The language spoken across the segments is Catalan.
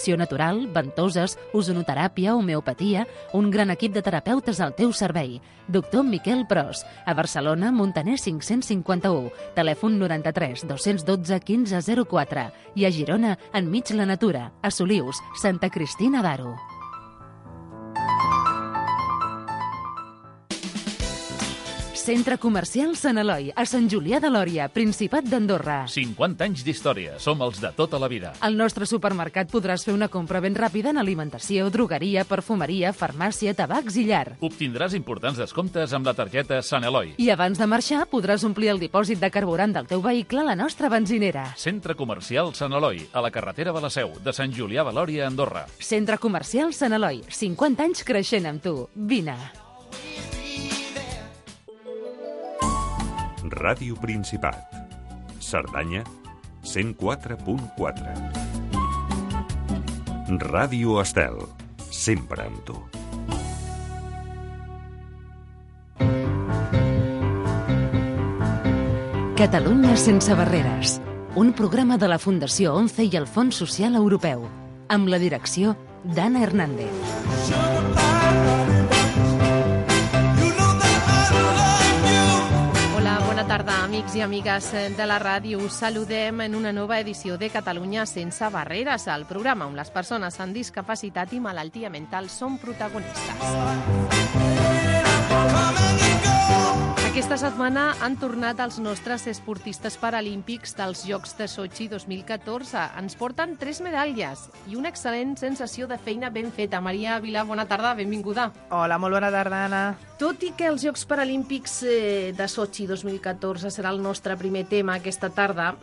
medicinació natural, ventoses, ozonoteràpia, homeopatia, un gran equip de terapeutes al teu servei. Doctor Miquel Pros, a Barcelona, Montaner 551, telèfon 93 212 1504 i a Girona, enmig la natura, a Solius, Santa Cristina d'Aro. Centre Comercial Sant Eloi, a Sant Julià de Lòria, Principat d'Andorra. 50 anys d'història, som els de tota la vida. Al nostre supermercat podràs fer una compra ben ràpida en alimentació, drogueria, perfumeria, farmàcia, tabacs i llar. Obtindràs importants descomptes amb la targeta Sant Eloi. I abans de marxar podràs omplir el dipòsit de carburant del teu vehicle a la nostra benzinera. Centre Comercial Sant Eloi, a la carretera de la Seu, de Sant Julià de Lòria, Andorra. Centre Comercial Sant Eloi, 50 anys creixent amb tu. Vine. Ràdio Principat. Cerdanya, 104.4. Ràdio Estel, sempre amb tu. Catalunya sense barreres. Un programa de la Fundació ONCE i el Fons Social Europeu. Amb la direcció d'Anna Hernández. Bona tarda, amics i amigues de la ràdio. Us saludem en una nova edició de Catalunya sense barreres, el programa on les persones amb discapacitat i malaltia mental són protagonistes. Aquesta setmana han tornat els nostres esportistes paralímpics dels Jocs de Sochi 2014. Ens porten 3 medalles i una excel·lent sensació de feina ben feta. Maria Vilà, bona tarda, benvinguda. Hola, molt bona tarda, Anna. Tot i que els Jocs Paralímpics de Sochi 2014 serà el nostre primer tema aquesta tarda,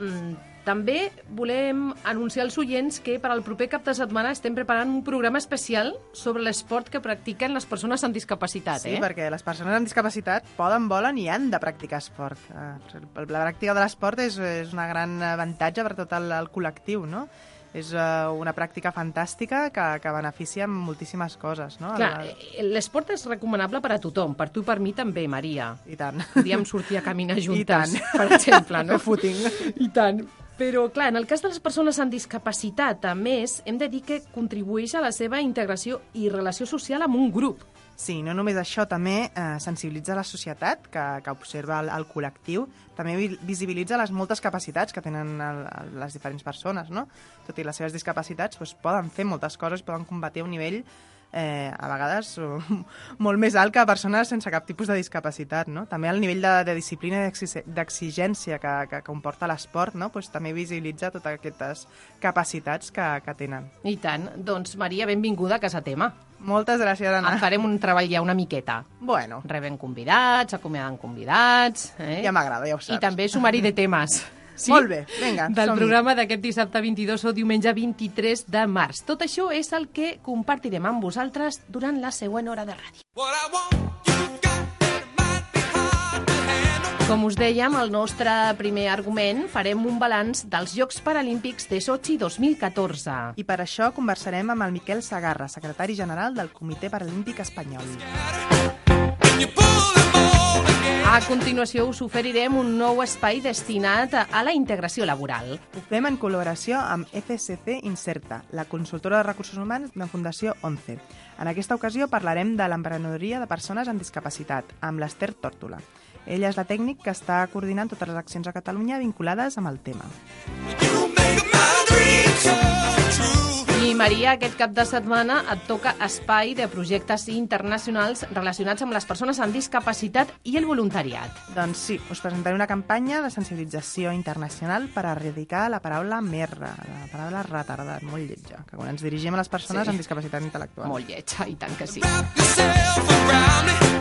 també volem anunciar als oients que per al proper cap de setmana estem preparant un programa especial sobre l'esport que practiquen les persones amb discapacitat. Sí, perquè les persones amb discapacitat poden, volen i han de practicar esport. La pràctica de l'esport és un gran avantatge per tot el col·lectiu, no? És una pràctica fantàstica que beneficia moltíssimes coses, no? Clar, l'esport és recomanable per a tothom, per tu i per mi també, Maria. I tant. Podríem sortir a caminar juntes, per exemple, no? Fer footing. I tant. Però, clar, en el cas de les persones amb discapacitat, a més, hem de dir que contribueix a la seva integració i relació social amb un grup. Sí, no només això, també sensibilitza la societat, que observa el col·lectiu, també visibilitza les moltes capacitats que tenen les diferents persones, no? Tot i les seves discapacitats, doncs, poden fer moltes coses, poden combatir a un nivell a vegades molt més alt que persones sense cap tipus de discapacitat, no? També el nivell de disciplina i d'exigència que comporta l'esport, no? Pues també visibilitza totes aquestes capacitats que tenen. I tant. Doncs, Maria, benvinguda a Casa Tema. Moltes gràcies, Anna. En farem un treball ja una miqueta. Bueno. Rebem convidats, acomiadant convidats. Ja m'agrada, ja ho saps. I també sumari de temes. Sí? Molt bé, vinga, del programa d'aquest dissabte 22 o diumenge 23 de març. Tot això és el que compartirem amb vosaltres durant la següent hora de ràdio. Com us dèiem, el nostre primer argument farem un balanç dels Jocs Paralímpics de Sochi 2014. I per això conversarem amb el Miquel Segarra, secretari general del Comitè Paralímpic Espanyol. A continuació us oferirem un nou espai destinat a la integració laboral. Ho fem en col·laboració amb FSC Inserta, la consultora de recursos humans de Fundació ONCE. En aquesta ocasió parlarem de l'emprenedoria de persones amb discapacitat, amb l'Ester Tórtola. Ella és la tècnic que està coordinant totes les accions a Catalunya vinculades amb el tema. I, Maria, aquest cap de setmana et toca espai de projectes internacionals relacionats amb les persones amb discapacitat i el voluntariat. Doncs sí, us presentaré una campanya de sensibilització internacional per erradicar la paraula merda, la paraula retardat, molt lletja, que quan ens dirigim a les persones amb discapacitat intel·lectual. Molt lletja, i tant que sí.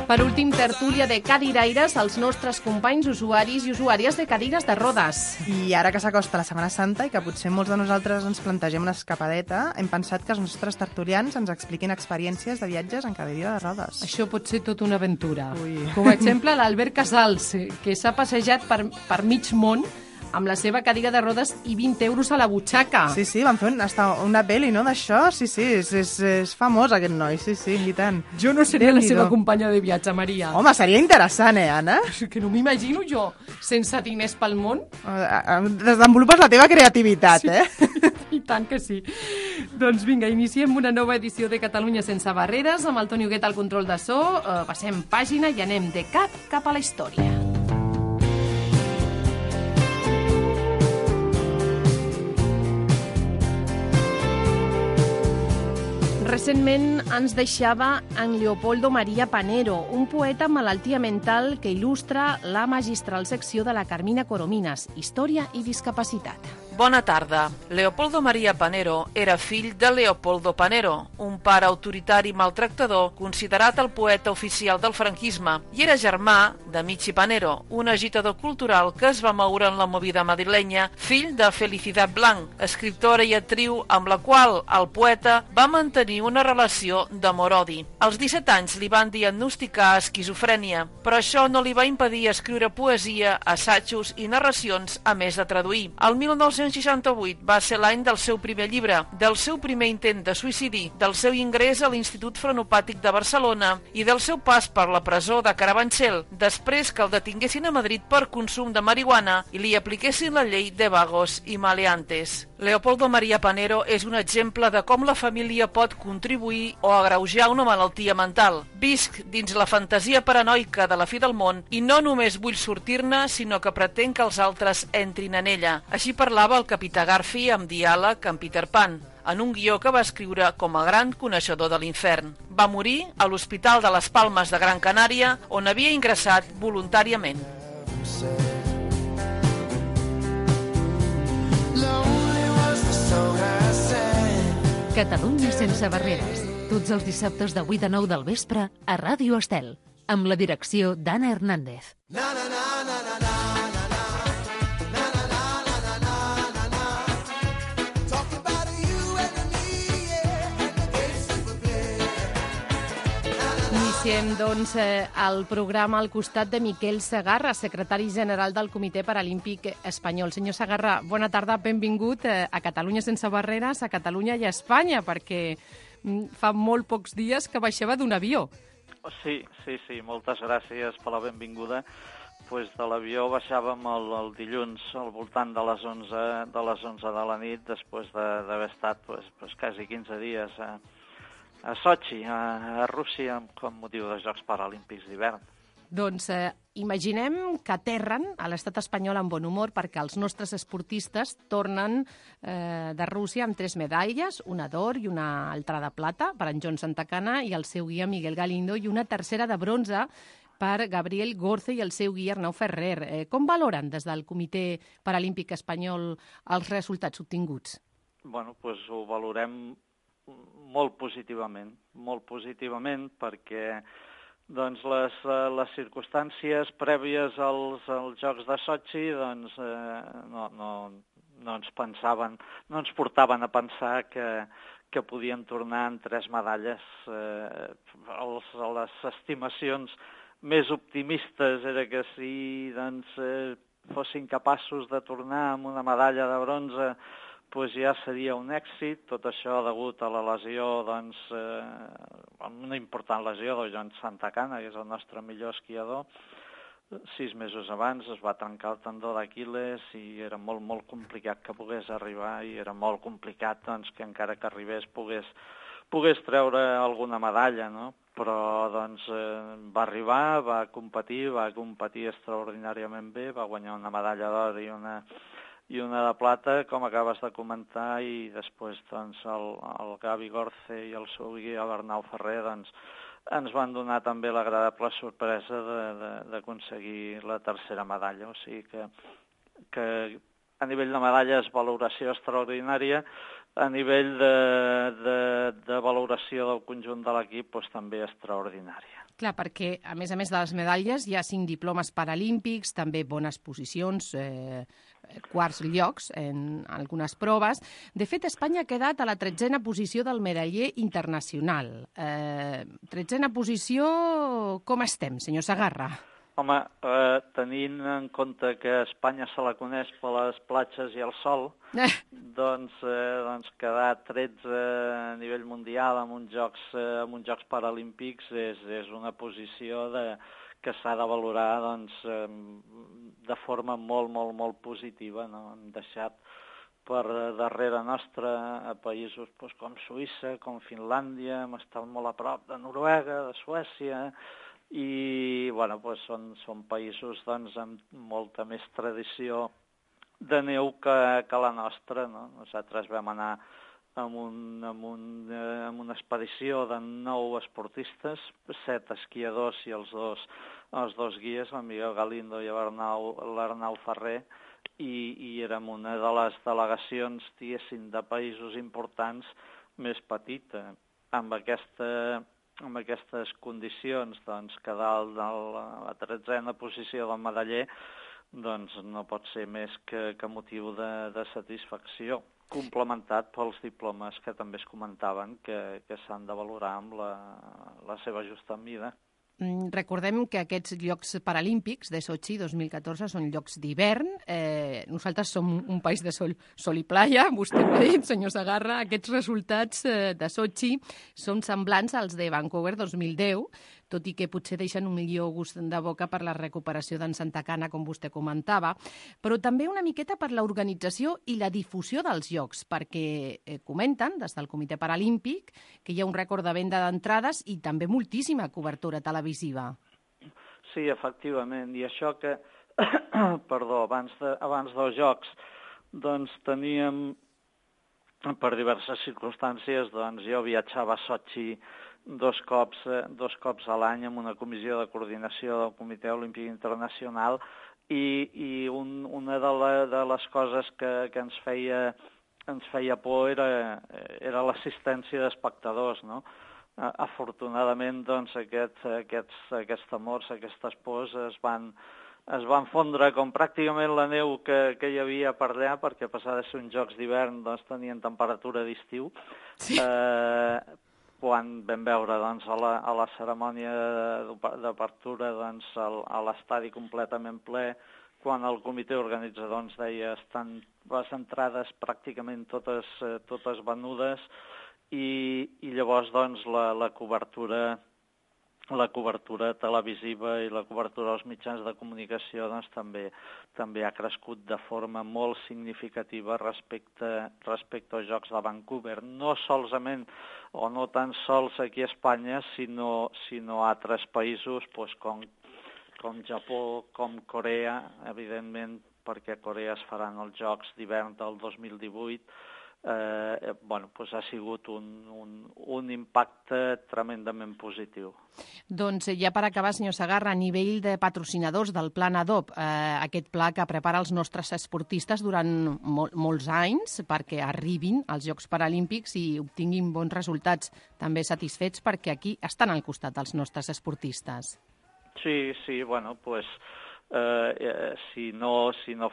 Per últim, tertúlia de cadiraires, els nostres companys usuaris i usuàries de cadires de rodes. I ara que s'acosta la Setmana Santa i que potser molts de nosaltres ens plantegem una escapadeta, hem pensat que els nostres tertulians ens expliquin experiències de viatges en cadira de rodes. Això pot ser tota una aventura. Ui. Com a exemple, l'Albert Casals, que s'ha passejat per mig món amb la seva cadira de rodes i 20 euros a la butxaca. Sí, van fer una pel·li, no?, d'això. Sí, és famós aquest noi, sí, i tant. Jo no seria la seva companya de viatge, Maria. Home, seria interessant, Anna? Que no m'imagino jo, sense diners pel món. Desenvolupes la teva creativitat, I tant que sí. Doncs vinga, iniciem una nova edició de Catalunya sense barreres, amb el Toni Huguet al control de so, passem pàgina i anem de cap a la història. Recentment ens deixava en Leopoldo María Panero, un poeta amb malaltia mental que il·lustra la magistral secció de la Carmina Corominas, Història i discapacitat. Bona tarda. Leopoldo María Panero era fill de Leopoldo Panero, un pare autoritari maltractador considerat el poeta oficial del franquisme, i era germà de Michi Panero, un agitador cultural que es va moure en la movida madrilenya, fill de Felicidad Blanc, escriptora i actriu amb la qual el poeta va mantenir una relació d'amor-odi. Als 17 anys li van diagnosticar esquizofrènia, però això no li va impedir escriure poesia, assajos i narracions, a més de traduir. El 1968 va ser l'any del seu primer llibre, del seu primer intent de suïcidi, del seu ingrés a l'Institut Frenopàtic de Barcelona i del seu pas per la presó de Carabanchel, després que el detinguessin a Madrid per consum de marihuana i li apliquessin la llei de vagos i maleantes. Leopoldo María Panero és un exemple de com la família pot contribuir o agreujar una malaltia mental. Visc dins la fantasia paranoica de la fi del món i no només vull sortir-ne, sinó que pretenc que els altres entrin en ella. Així parlava el capità Garfi amb diàleg amb Peter Pan, en un guió que va escriure com a gran coneixedor de l'infern. Va morir a l'Hospital de les Palmes de Gran Canària, on havia ingressat voluntàriament. Catalunya sense barreres. Tots els dissabtes de 8 a 9 del vespre a Ràdio Estel, amb la direcció d'Anna Hernández. Iniciem, doncs, el programa al costat de Miquel Segarra, secretari general del Comitè Paralímpic Espanyol. Senyor Segarra, bona tarda, benvingut a Catalunya sense barreres, a Catalunya i a Espanya, perquè fa molt pocs dies que baixava d'un avió. Sí, moltes gràcies per la benvinguda. Pues de l'avió baixàvem el dilluns al voltant de les 11 de la nit, després d'haver estat quasi 15 dies a Sochi, a Rússia, com motiu dels Jocs Paralímpics d'hivern. Doncs imaginem que aterren a l'estat espanyol amb bon humor perquè els nostres esportistes tornen de Rússia amb 3 medalles, una d'or i una altra de plata per en John Santacana i el seu guia Miguel Galindo, i una tercera de bronze per Gabriel Gorce i el seu guia Arnau Ferrer. Com valoren des del Comitè Paralímpic Espanyol els resultats obtinguts? Bueno, doncs ho valorem molt positivament perquè doncs, les circumstàncies prèvies als Jocs de Sochi doncs, no ens portaven a pensar que podíem tornar en 3 medalles. Les estimacions més optimistes era que si fossin capaços de tornar amb una medalla de bronze doncs ja seria un èxit. Tot això degut a la lesió, una important lesió de John Santacana, que és el nostre millor esquiador. 6 mesos abans es va trencar el tendó d'Aquil·les i era molt complicat que pogués arribar, i era molt complicat que encara que arribés pogués treure alguna medalla, no? Però va arribar, va competir extraordinàriament bé, va guanyar una medalla d'or i una de plata, com acabes de comentar, i després el Gavi Gorce i el seu guia Arnau Ferrer ens van donar també l'agradable sorpresa d'aconseguir la tercera medalla. O sigui que a nivell de medalles, valoració extraordinària. A nivell de valoració del conjunt de l'equip, també extraordinària. Clar, perquè a més de les medalles hi ha 5 diplomes paralímpics, també bones posicions, quarts llocs en algunes proves. De fet, Espanya ha quedat a la 13a posició del medaller internacional. 13a posició, com estem, senyor Segarra? Home, tenint en compte que Espanya se la coneix per les platges i el sol, doncs quedar 13 a nivell mundial en uns Jocs Paralímpics és una posició que s'ha de valorar de forma molt, molt, molt positiva. No? Hem deixat per darrere nostra a països com Suïssa, com Finlàndia, hem estat molt a prop de Noruega, de Suècia, i són països amb molta més tradició de neu que la nostra. No? Nosaltres vam anar amb una expedició de 9 esportistes, 7 esquiadors i els dos guies, el Miguel Galindo i l'Arnau Ferrer, i érem una de les delegacions, diguéssim, de països importants més petita. Amb aquestes condicions, que dalt de la 13a posició del medaller, no pot ser més que motiu de satisfacció, complementat pels diplomes que també es comentaven que s'han de valorar amb la seva justa mida. Recordem que aquests Jocs Paralímpics de Sochi 2014 són Jocs d'hivern. Nosaltres som un país de sol i playa, vostè ho ha dit, senyor Segarra. Aquests resultats de Sochi són semblants als de Vancouver 2010, tot i que potser deixen un millor gust de boca per la recuperació d'en Santa Cana, com vostè comentava, però també una miqueta per l'organització i la difusió dels Jocs, perquè comenten, des del Comitè Paralímpic, que hi ha un rècord de venda d'entrades i també moltíssima cobertura televisiva. Sí, efectivament, i això que, abans dels Jocs, teníem, per diverses circumstàncies, jo viatjava a Sochi dos cops a l'any amb una comissió de coordinació del Comitè Olímpic Internacional i una de les coses que ens feia por era l'assistència d'espectadors, no? Afortunadament, aquests temors, aquestes pors es van fondre com pràcticament la neu que hi havia per allà, perquè a pesar de ser uns Jocs d'hivern tenien temperatura d'estiu. Sí. Quan vam veure a la cerimònia d'apertura a l'estadi completament ple, quan el comitè organitzador ens deia estan les entrades pràcticament totes venudes, i llavors la cobertura televisiva i la cobertura dels mitjans de comunicació també ha crescut de forma molt significativa respecte als Jocs de Vancouver. No solament o no tan sols aquí a Espanya, sinó a altres països com Japó, com Corea, evidentment, perquè a Corea es faran els Jocs d'hivern del 2018, ha sigut un impacte tremendament positiu. Doncs ja per acabar, senyor Segarra, a nivell de patrocinadors del Pla NADOP, aquest pla que prepara els nostres esportistes durant molts anys perquè arribin als Jocs Paralímpics i obtinguin bons resultats, també satisfets perquè aquí estan al costat dels nostres esportistes. Sí, si no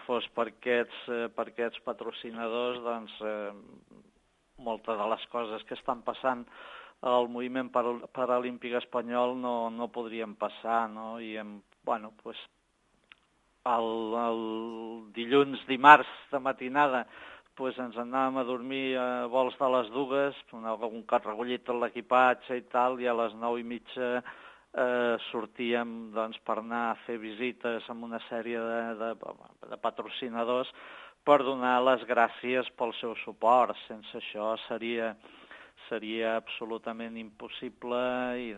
fos per aquests patrocinadors, moltes de les coses que estan passant al moviment paralímpic espanyol no podrien passar, no? I el dimarts de matinada ens anàvem a dormir a vols de les 2, un cop recollit tot l'equipatge i tal, i a les 9:30 sortíem per anar a fer visites amb una sèrie de patrocinadors per donar les gràcies pel seu suport. Sense això seria absolutament impossible i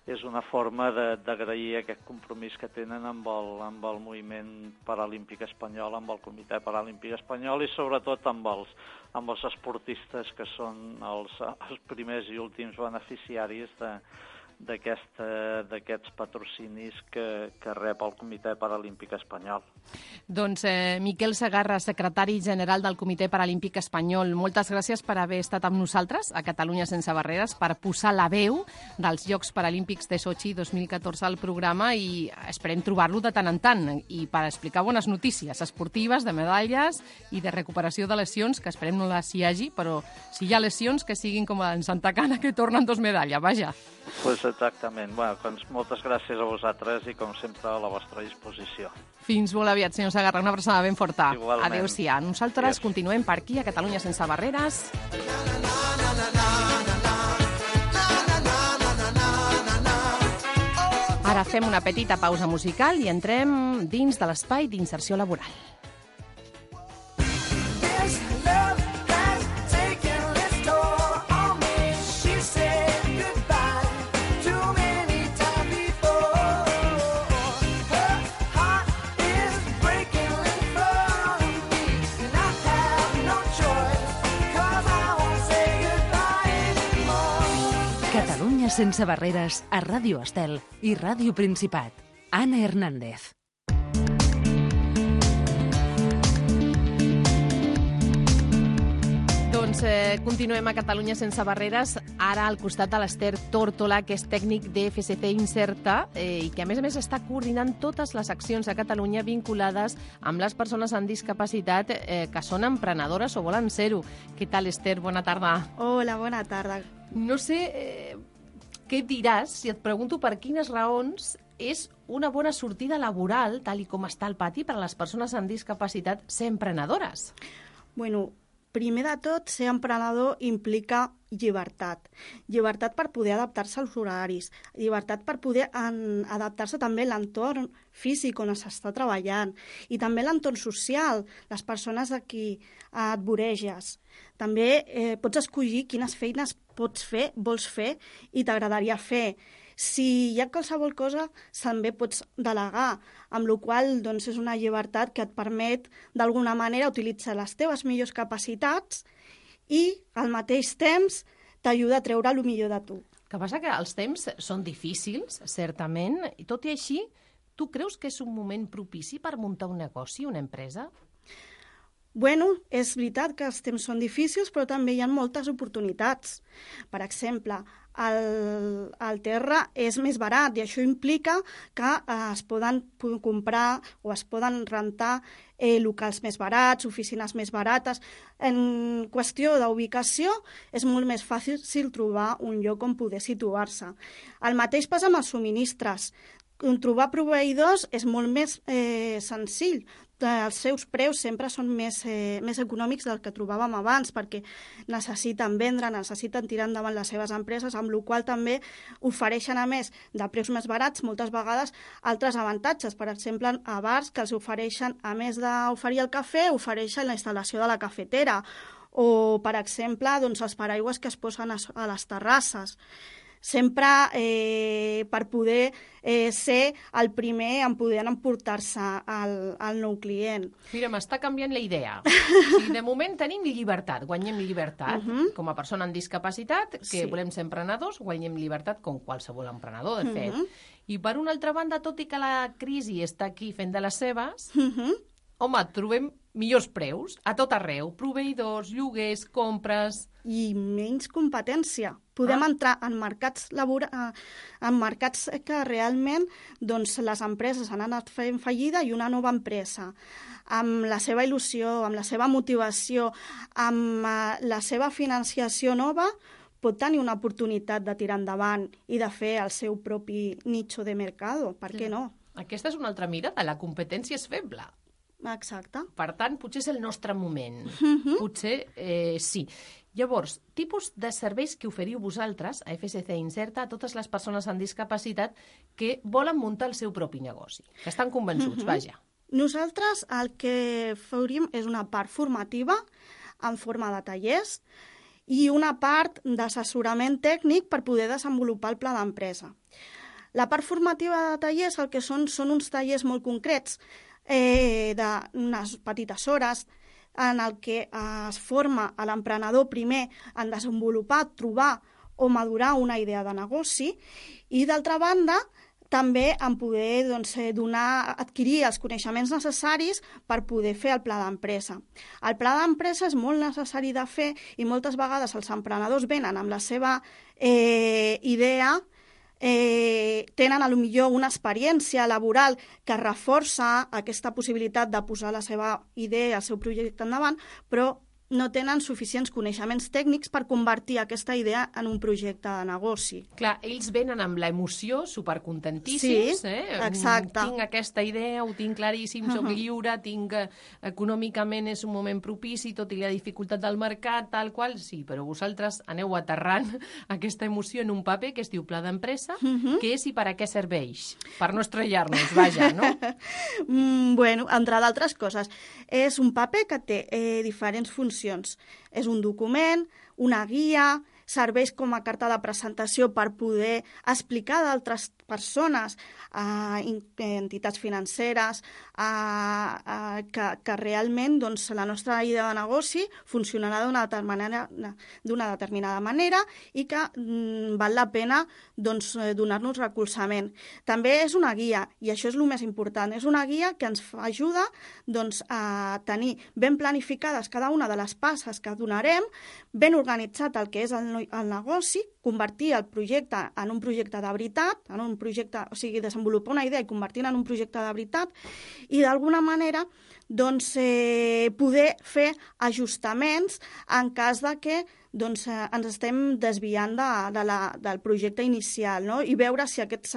és una forma d'agrair aquest compromís que tenen amb el moviment paralímpic espanyol, amb el Comitè Paralímpic Espanyol i sobretot amb els esportistes que són els primers i últims beneficiaris d'aquests patrocinis que rep el Comitè Paralímpic Espanyol. Doncs Miquel Segarra, secretari general del Comitè Paralímpic Espanyol, moltes gràcies per haver estat amb nosaltres a Catalunya Sense Barreres, per posar la veu dels Jocs Paralímpics de Sochi 2014 al programa, i esperem trobar-lo de tant en tant i per explicar bones notícies esportives, de medalles i de recuperació de lesions, que esperem no les hi hagi, però si hi ha lesions que siguin com en Santa Cana, que tornen 2 medalles, vaja. Pues Exactament. Bueno, doncs moltes gràcies a vosaltres i, com sempre, a la vostra disposició. Fins molt aviat, senyor Segarra. Una abraçada ben forta. Igualment. Adéu-siau. Nosaltres continuem per aquí, a Catalunya sense barreres. Ara fem una petita pausa musical i entrem dins de l'espai d'inserció laboral. Catalunya sense barreres a Ràdio Estel i Ràdio Principat. Anna Hernández. Doncs continuem a Catalunya sense barreres, ara al costat de l'Ester Tórtola, que és tècnic de FSC Inserta i que a més està coordinant totes les accions a Catalunya vinculades amb les persones amb discapacitat que són emprenedores o volen ser-ho. Què tal, Ester? Bona tarda. Hola, bona tarda. No sé què diràs si et pregunto per quines raons és una bona sortida laboral, tal i com està el pati, per a les persones amb discapacitat ser emprenedores. Bueno, primer de tot, ser emprenedor implica llibertat. Llibertat per poder adaptar-se als horaris, llibertat per poder adaptar-se també a l'entorn físic on s'està treballant i també l'entorn social, les persones a qui et voreges. També pots escollir quines feines vols fer i t'agradaria fer. Si hi ha qualsevol cosa, també pots delegar, amb la qual cosa és una llibertat que et permet, d'alguna manera, utilitzar les teves millors capacitats i, al mateix temps, t'ajuda a treure el millor de tu. El que passa que els temps són difícils, certament, i tot i així, tu creus que és un moment propici per muntar un negoci, una empresa? Bueno, és veritat que els temps són difícils, però també hi ha moltes oportunitats. Per exemple, el terra és més barat i això implica que es poden comprar o es poden rentar locals més barats, oficines més barates. En qüestió d'ubicació és molt més fàcil trobar un lloc on poder situar-se. El mateix passa amb els subministres. Trobar proveïdors és molt més senzill. Els seus preus sempre són més econòmics del que trobàvem abans perquè necessiten vendre, necessiten tirar endavant les seves empreses, amb la qual també ofereixen, a més de preus més barats, moltes vegades altres avantatges. Per exemple, a bars que els ofereixen, a més d'oferir el cafè, ofereixen la instal·lació de la cafetera o, per exemple, els paraigües que es posen a les terrasses. Sempre per poder ser el primer en poder emportar-se al nou client. Mira, m'està canviant la idea. Si de moment tenim llibertat, guanyem llibertat, com a persona amb discapacitat, que volem ser emprenedors, guanyem llibertat com qualsevol emprenedor, de fet. I per una altra banda, tot i que la crisi està aquí fent de les seves, home, trobem millors preus a tot arreu, proveïdors, lloguers, compres... I menys competència. Podem entrar en mercats que realment les empreses han anat fent fallida i una nova empresa, amb la seva il·lusió, amb la seva motivació, amb la seva financiació nova, pot tenir una oportunitat de tirar endavant i de fer el seu propi nicho de mercado. Per què no? Aquesta és una altra mirada. La competència és feble. Exacte. Per tant, potser és el nostre moment. Potser sí. Llavors, tipus de serveis que oferiu vosaltres a FSC Inserta a totes les persones amb discapacitat que volen muntar el seu propi negoci, que estan convençuts, vaja. Nosaltres el que faríem és una part formativa en forma de tallers i una part d'assessorament tècnic per poder desenvolupar el pla d'empresa. La part formativa de tallers el que són uns tallers molt concrets, d'unes petites hores, en el que es forma a l'emprenedor primer en desenvolupar, trobar o madurar una idea de negoci i, d'altra banda, també en poder adquirir els coneixements necessaris per poder fer el pla d'empresa. El pla d'empresa és molt necessari de fer i moltes vegades els emprenedors venen amb la seva idea, tenen potser una experiència laboral que reforça aquesta possibilitat de posar la seva idea, el seu projecte endavant, però no tenen suficients coneixements tècnics per convertir aquesta idea en un projecte de negoci. Clar, ells venen amb l'emoció, supercontentíssims. Sí, exacte. Tinc aquesta idea, ho tinc claríssim, soc lliure, econòmicament és un moment propici, tot i la dificultat del mercat, tal qual, sí, però vosaltres aneu aterrant aquesta emoció en un paper que es diu pla d'empresa, què és i per a què serveix? Per no estrellar-nos, vaja, no? Bueno, entre d'altres coses, és un paper que té diferents funcions. És un document, una guia, serveix com a carta de presentació per poder explicar a d'altres persones, a entitats financeres, que realment doncs, la nostra idea de negoci funcionarà d'una determinada manera i que val la pena doncs, donar-nos recolzament. També és una guia, i això és el més important, és una guia que ens ajuda doncs, a tenir ben planificades cada una de les passes que donarem, ben organitzat el que és el negoci, convertir el projecte en un projecte de veritat, en un projecte, o sigui, desenvolupar una idea i convertir-la en un projecte de veritat, i d'alguna manera doncs, poder fer ajustaments en cas de que doncs, ens estem desviant del projecte inicial, no? I veure si aquests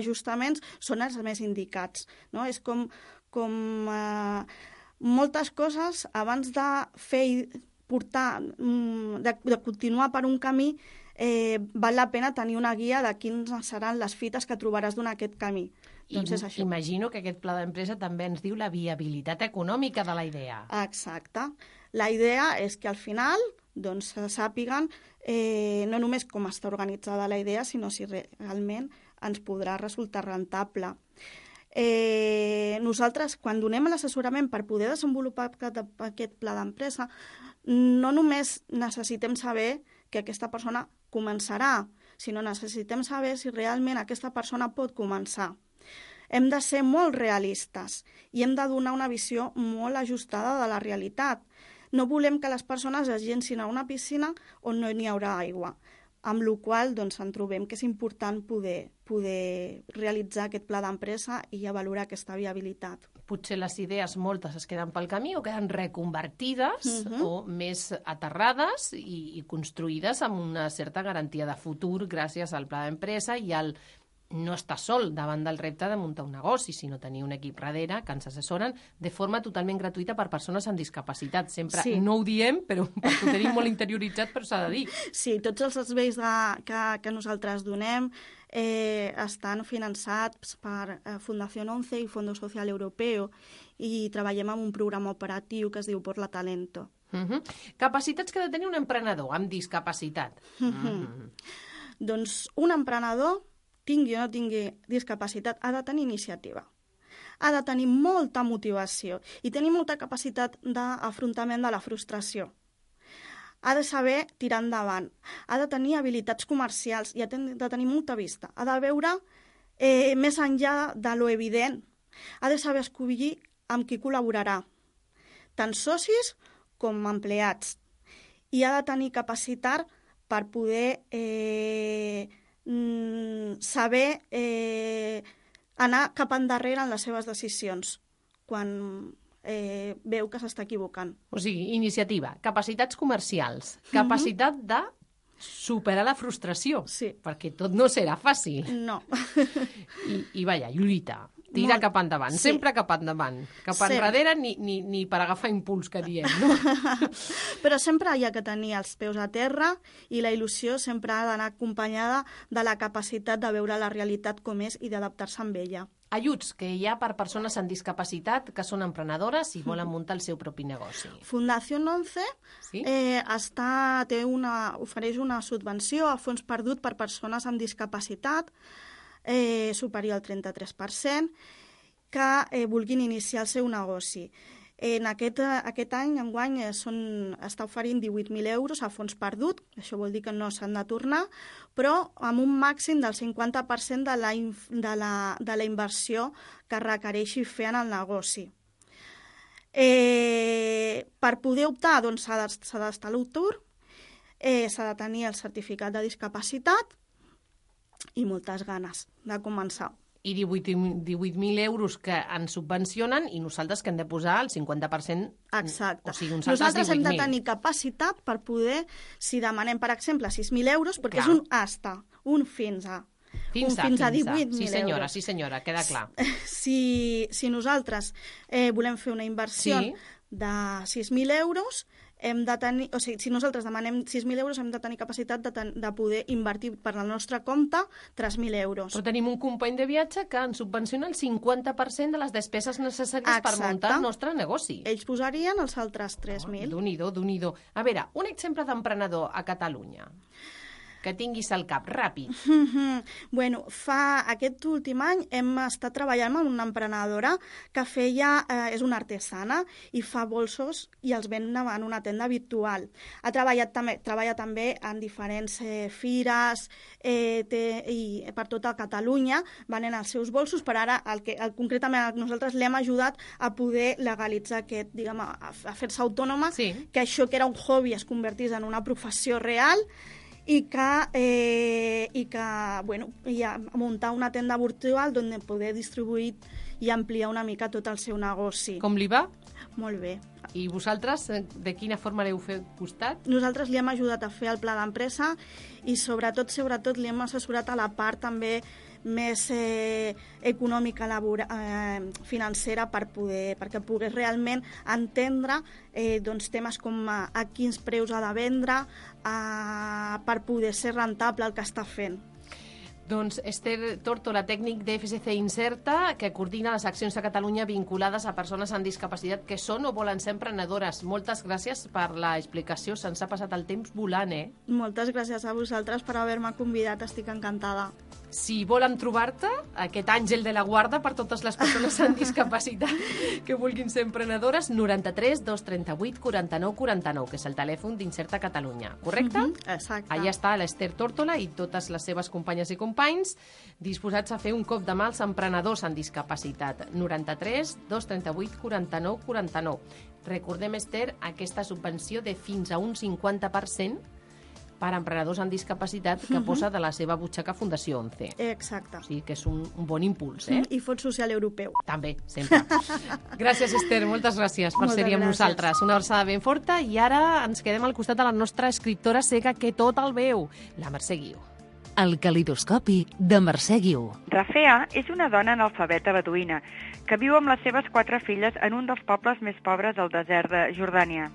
ajustaments són els més indicats. No? És com moltes coses abans de fer de continuar per un camí, val la pena tenir una guia de quines seran les fites que trobaràs durant aquest camí. Doncs és això. Imagino que aquest pla d'empresa també ens diu la viabilitat econòmica de la idea. Exacte. La idea és que al final doncs, sàpiguen no només com està organitzada la idea, sinó si realment ens podrà resultar rentable. Nosaltres, quan donem l'assessorament per poder desenvolupar aquest pla d'empresa, no només necessitem saber que aquesta persona començarà, sinó necessitem saber si realment aquesta persona pot començar. Hem de ser molt realistes i hem de donar una visió molt ajustada de la realitat. No volem que les persones es llencin a una piscina on no n'hi haurà aigua, amb la qual cosa doncs, en trobem que és important poder realitzar aquest pla d'empresa i valorar aquesta viabilitat. Potser les idees moltes es queden pel camí o queden reconvertides o més aterrades i construïdes amb una certa garantia de futur gràcies al pla d'empresa i al no estar sol davant del repte de muntar un negoci, sinó tenir un equip darrere que ens assessoren de forma totalment gratuïta per persones amb discapacitat. Sempre no ho diem, però perquè ho tenim molt interioritzat, però s'ha de dir. Sí, tots els serveis que nosaltres donem estan finançats per Fundació 11 i Fondo Social Europeo i treballem amb un programa operatiu que es diu Por la Talento. Capacitats que ha de tenir un emprenedor amb discapacitat. Doncs un emprenedor, tingui o no tingui discapacitat, ha de tenir iniciativa. Ha de tenir molta motivació i tenir molta capacitat d'afrontament de la frustració. Ha de saber tirar endavant. Ha de tenir habilitats comercials i ha de tenir molta vista. Ha de veure més enllà de lo evident. Ha de saber escollir amb qui col·laborarà, tant socis com empleats. I ha de tenir capacitat per poder saber anar cap endarrere en les seves decisions quan veu que s'està equivocant. O sigui, iniciativa, capacitats comercials, capacitat de superar la frustració, perquè tot no serà fàcil. No. I vaja, lluita, tira cap endavant, sempre cap endavant, cap enrere ni per agafar impuls, que diem, no? Però sempre hi ha que tenir els peus a terra i la il·lusió sempre ha d'anar acompanyada de la capacitat de veure la realitat com és i d'adaptar-se amb ella. Ajuts que hi ha per persones amb discapacitat que són emprenedores i volen muntar el seu propi negoci. Fundació 11 ofereix una subvenció a fons perdut per persones amb discapacitat superior al 33% que vulguin iniciar el seu negoci. En aquest any, enguany, està oferint 18.000 euros a fons perdut, això vol dir que no s'han de tornar, però amb un màxim del 50% de la inversió que requereixi fer en el negoci. Per poder optar, doncs, s'ha d'estar a l'atur, s'ha de tenir el certificat de discapacitat i moltes ganes de començar. I 18.000 euros que ens subvencionen i nosaltres que hem de posar el 50%. Exacte. O sigui, nosaltres hem de tenir capacitat per poder, si demanem, per exemple, 6.000 euros, perquè és un hasta, un fins a. Fins a 18.000 euros. Sí, senyora, queda clar. Si nosaltres volem fer una inversió de 6.000 euros, hem de tenir, o sigui, si nosaltres demanem 6.000 euros, hem de tenir capacitat de poder invertir per al nostre compte 3.000 euros. Però tenim un company de viatge que ens subvenciona el 50% de les despeses necessàries per muntar el nostre negoci. Ells posarien els altres 3.000. Déu-n'hi-do. A veure, un exemple d'emprenedor a Catalunya que tinguis al cap, ràpid. Bueno, aquest últim any hem estat treballant amb una emprenedora que és una artesana i fa bolsos i els ven en una tenda virtual. Treballa també en diferents fires i per tota Catalunya venent els seus bolsos, però ara concretament nosaltres l'hem ajudat a poder legalitzar aquest, diguem, a fer-se autònoma, que això que era un hobby es convertís en una professió real i a muntar una tenda virtual on poder distribuir i ampliar una mica tot el seu negoci. Com li va? Molt bé. I vosaltres, de quina forma l'heu fet costat? Nosaltres li hem ajudat a fer el pla d'empresa i sobretot li hem assessorat a la part també més econòmica, financera, perquè pogués realment entendre temes com a quins preus ha de vendre per poder ser rentable el que està fent. Doncs Esther Tórtola, tècnic d'FSC Incerta, que coordina les accions a Catalunya vinculades a persones amb discapacitat que són o volen ser emprenedores. Moltes gràcies per l'explicació. Se'ns ha passat el temps volant, Moltes gràcies a vosaltres per haver-me convidat. Estic encantada. Si volen trobar-te, aquest àngel de la guarda per totes les persones amb discapacitat que vulguin ser emprenedores, 93 238 49 49, que és el telèfon d'Incerta Catalunya, correcte? Exacte. Allà està l'Esther Tórtola i totes les seves companyes i companys disposats a fer un cop de mà als emprenedors amb discapacitat. 93 238 49 49. Recordem, Esther, aquesta subvenció de fins a un 50% per a emprenedors amb discapacitat que posa de la seva butxaca Fundació 11. Exacte. O sigui que és un bon impuls, I Fons Social Europeu. També, sempre. Gràcies, Esther, moltes gràcies per ser-hi amb nosaltres. Una abraçada ben forta i ara ens quedem al costat de la nostra escriptora cega que tot el veu, la Mercè Guiu. El calidoscopi de Mercè Guiu. Rafea és una dona analfabeta beduïna que viu amb les seves 4 filles en un dels pobles més pobres del desert de Jordània,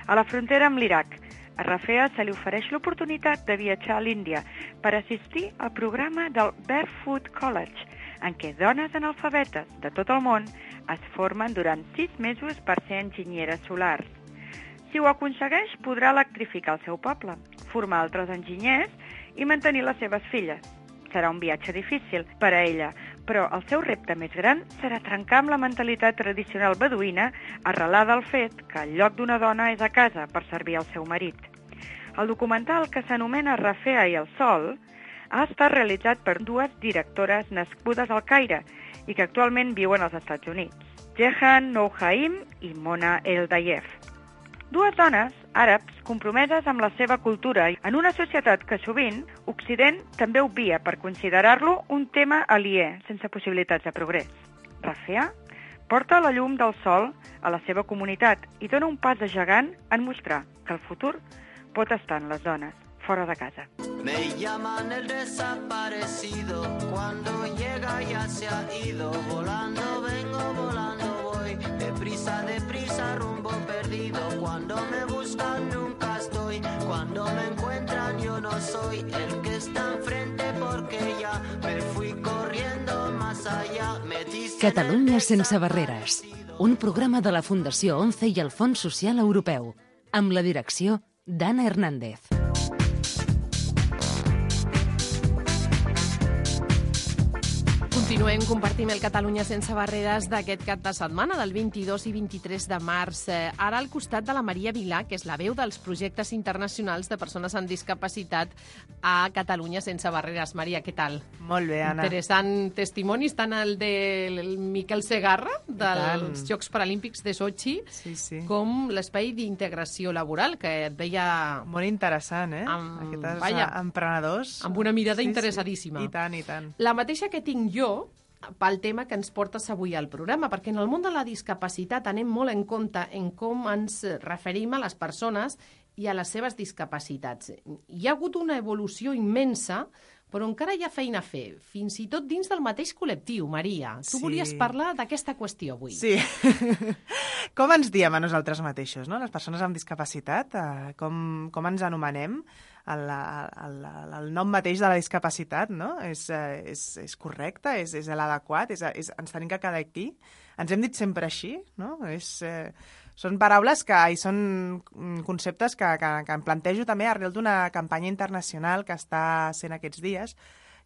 a la frontera amb l'Iraq. A Rafea se li ofereix l'oportunitat de viatjar a l'Índia per assistir al programa del Barefoot College, en què dones analfabetes de tot el món es formen durant 6 mesos per ser enginyeres solars. Si ho aconsegueix, podrà electrificar el seu poble, formar altres enginyers i mantenir les seves filles. Serà un viatge difícil per a ella, però el seu repte més gran serà trencar amb la mentalitat tradicional beduïna arrelada al fet que el lloc d'una dona és a casa per servir al seu marit. El documental, que s'anomena Rafea i el Sol, ha estat realitzat per 2 directores nascudes al Caire i que actualment viuen als Estats Units, Jehan Nouhaim i Mona El-Dayef. 2 dones àrabs compromeses amb la seva cultura en una societat que sovint Occident també obvia per considerar-lo un tema aliè, sense possibilitats de progrés. Rafea porta la llum del sol a la seva comunitat i dona un pas de gegant en mostrar que el futur pot estar en les dones, fora de casa. Me llaman el desaparecido, cuando llega ya se ha ido, volando vengo, volando voy, deprisa, rumbo perdido, cuando me buscan nunca estoy, cuando me encuentran yo no soy el que está enfrente porque ya me fui corriendo más allá. Catalunya sense barreres, un programa de la Fundació 11 i el Fons Social Europeu, amb la direcció d'Anna Hernández. Continuem, compartim el Catalunya sense barreres d'aquest cap de setmana, del 22 i 23 de març. Ara al costat de la Maria Vilà, que és la veu dels projectes internacionals de persones amb discapacitat a Catalunya sense barreres. Maria, què tal? Molt bé, Anna. Interessant testimonis, tant el del Miquel Segarra, dels Jocs Paralímpics de Sochi, com l'espai d'integració laboral, que et veia... Molt interessant, Aquests emprenedors. Amb una mirada interessadíssima. I tant, i tant. La mateixa que tinc jo, pel tema que ens portes avui al programa, perquè en el món de la discapacitat anem molt en compte en com ens referim a les persones i a les seves discapacitats. Hi ha hagut una evolució immensa, però encara hi ha feina a fer, fins i tot dins del mateix col·lectiu, Maria. Tu volies parlar d'aquesta qüestió avui. Sí. Com ens diem a nosaltres mateixos, no? Les persones amb discapacitat, com ens anomenem? El nom mateix de la discapacitat, no? És correcte, és l'adequat, ens tenim que quedar aquí. Ens hem dit sempre així, no? Són paraules i són conceptes que em plantejo també arrel d'una campanya internacional que està sent aquests dies,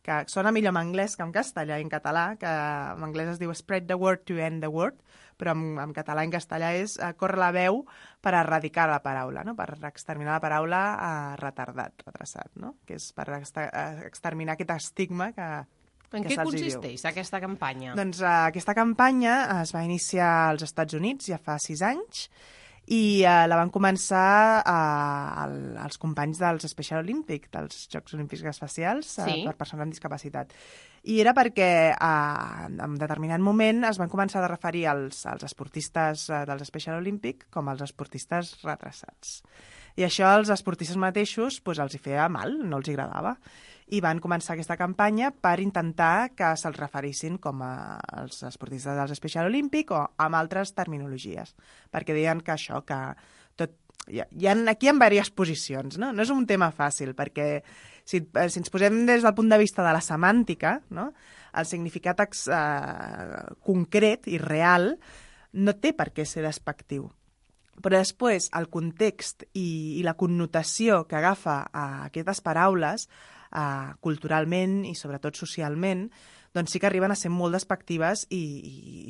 que sona millor en anglès que en castellà i en català, que en anglès es diu Spread the word to end the word, però en català i en castellà és córrer la veu per erradicar la paraula, no? Per exterminar la paraula retrassat, no? Que és per exterminar aquest estigma que en què consisteix aquesta campanya? Doncs aquesta campanya es va iniciar als Estats Units ja fa 6 anys i la van començar els companys dels Special Olympics, dels Jocs Olímpics Especials per persones amb discapacitat. I era perquè en determinat moment es van començar a referir als esportistes dels Special Olympics com els esportistes retrasats. I això als esportistes mateixos els hi feia mal, no els agradava. I van començar aquesta campanya per intentar que se'ls referissin com els esportistes dels Special Olympics o amb altres terminologies, perquè deien que això, que tot... Aquí hi ha diverses posicions, no? No és un tema fàcil, perquè si ens posem des del punt de vista de la semàntica, no? El significat concret i real no té per què ser despectiu. Però després el context i la connotació que agafa aquestes paraules culturalment i sobretot socialment, doncs sí que arriben a ser molt despectives i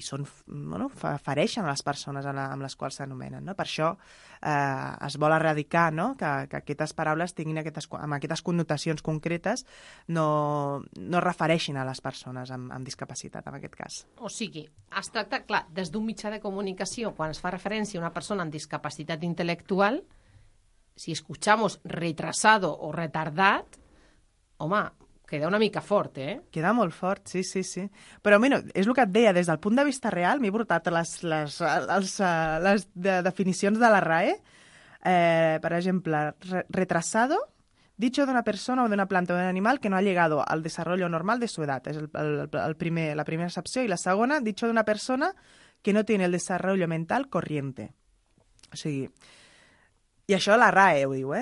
fereixen a les persones amb les quals s'anomenen, no? Per això es vol erradicar, no? Que aquestes paraules tinguin amb aquestes connotacions concretes no refereixin a les persones amb discapacitat, en aquest cas. O sigui, es tracta, clar, des d'un mitjà de comunicació, quan es fa referència a una persona amb discapacitat intel·lectual, si escuchamos retrasado o retardat, home, queda una mica fort, Queda molt fort, sí. Però, mira, és el que et deia, des del punt de vista real, m'he portat les definicions de la RAE. Per exemple, retrasado, dicho de una persona o de una planta o de un animal que no ha llegado al desarrollo normal de su edad. És la primera excepció. I la segona, dicho de una persona que no tiene el desarrollo mental corriente. O sigui, i això la RAE ho diu,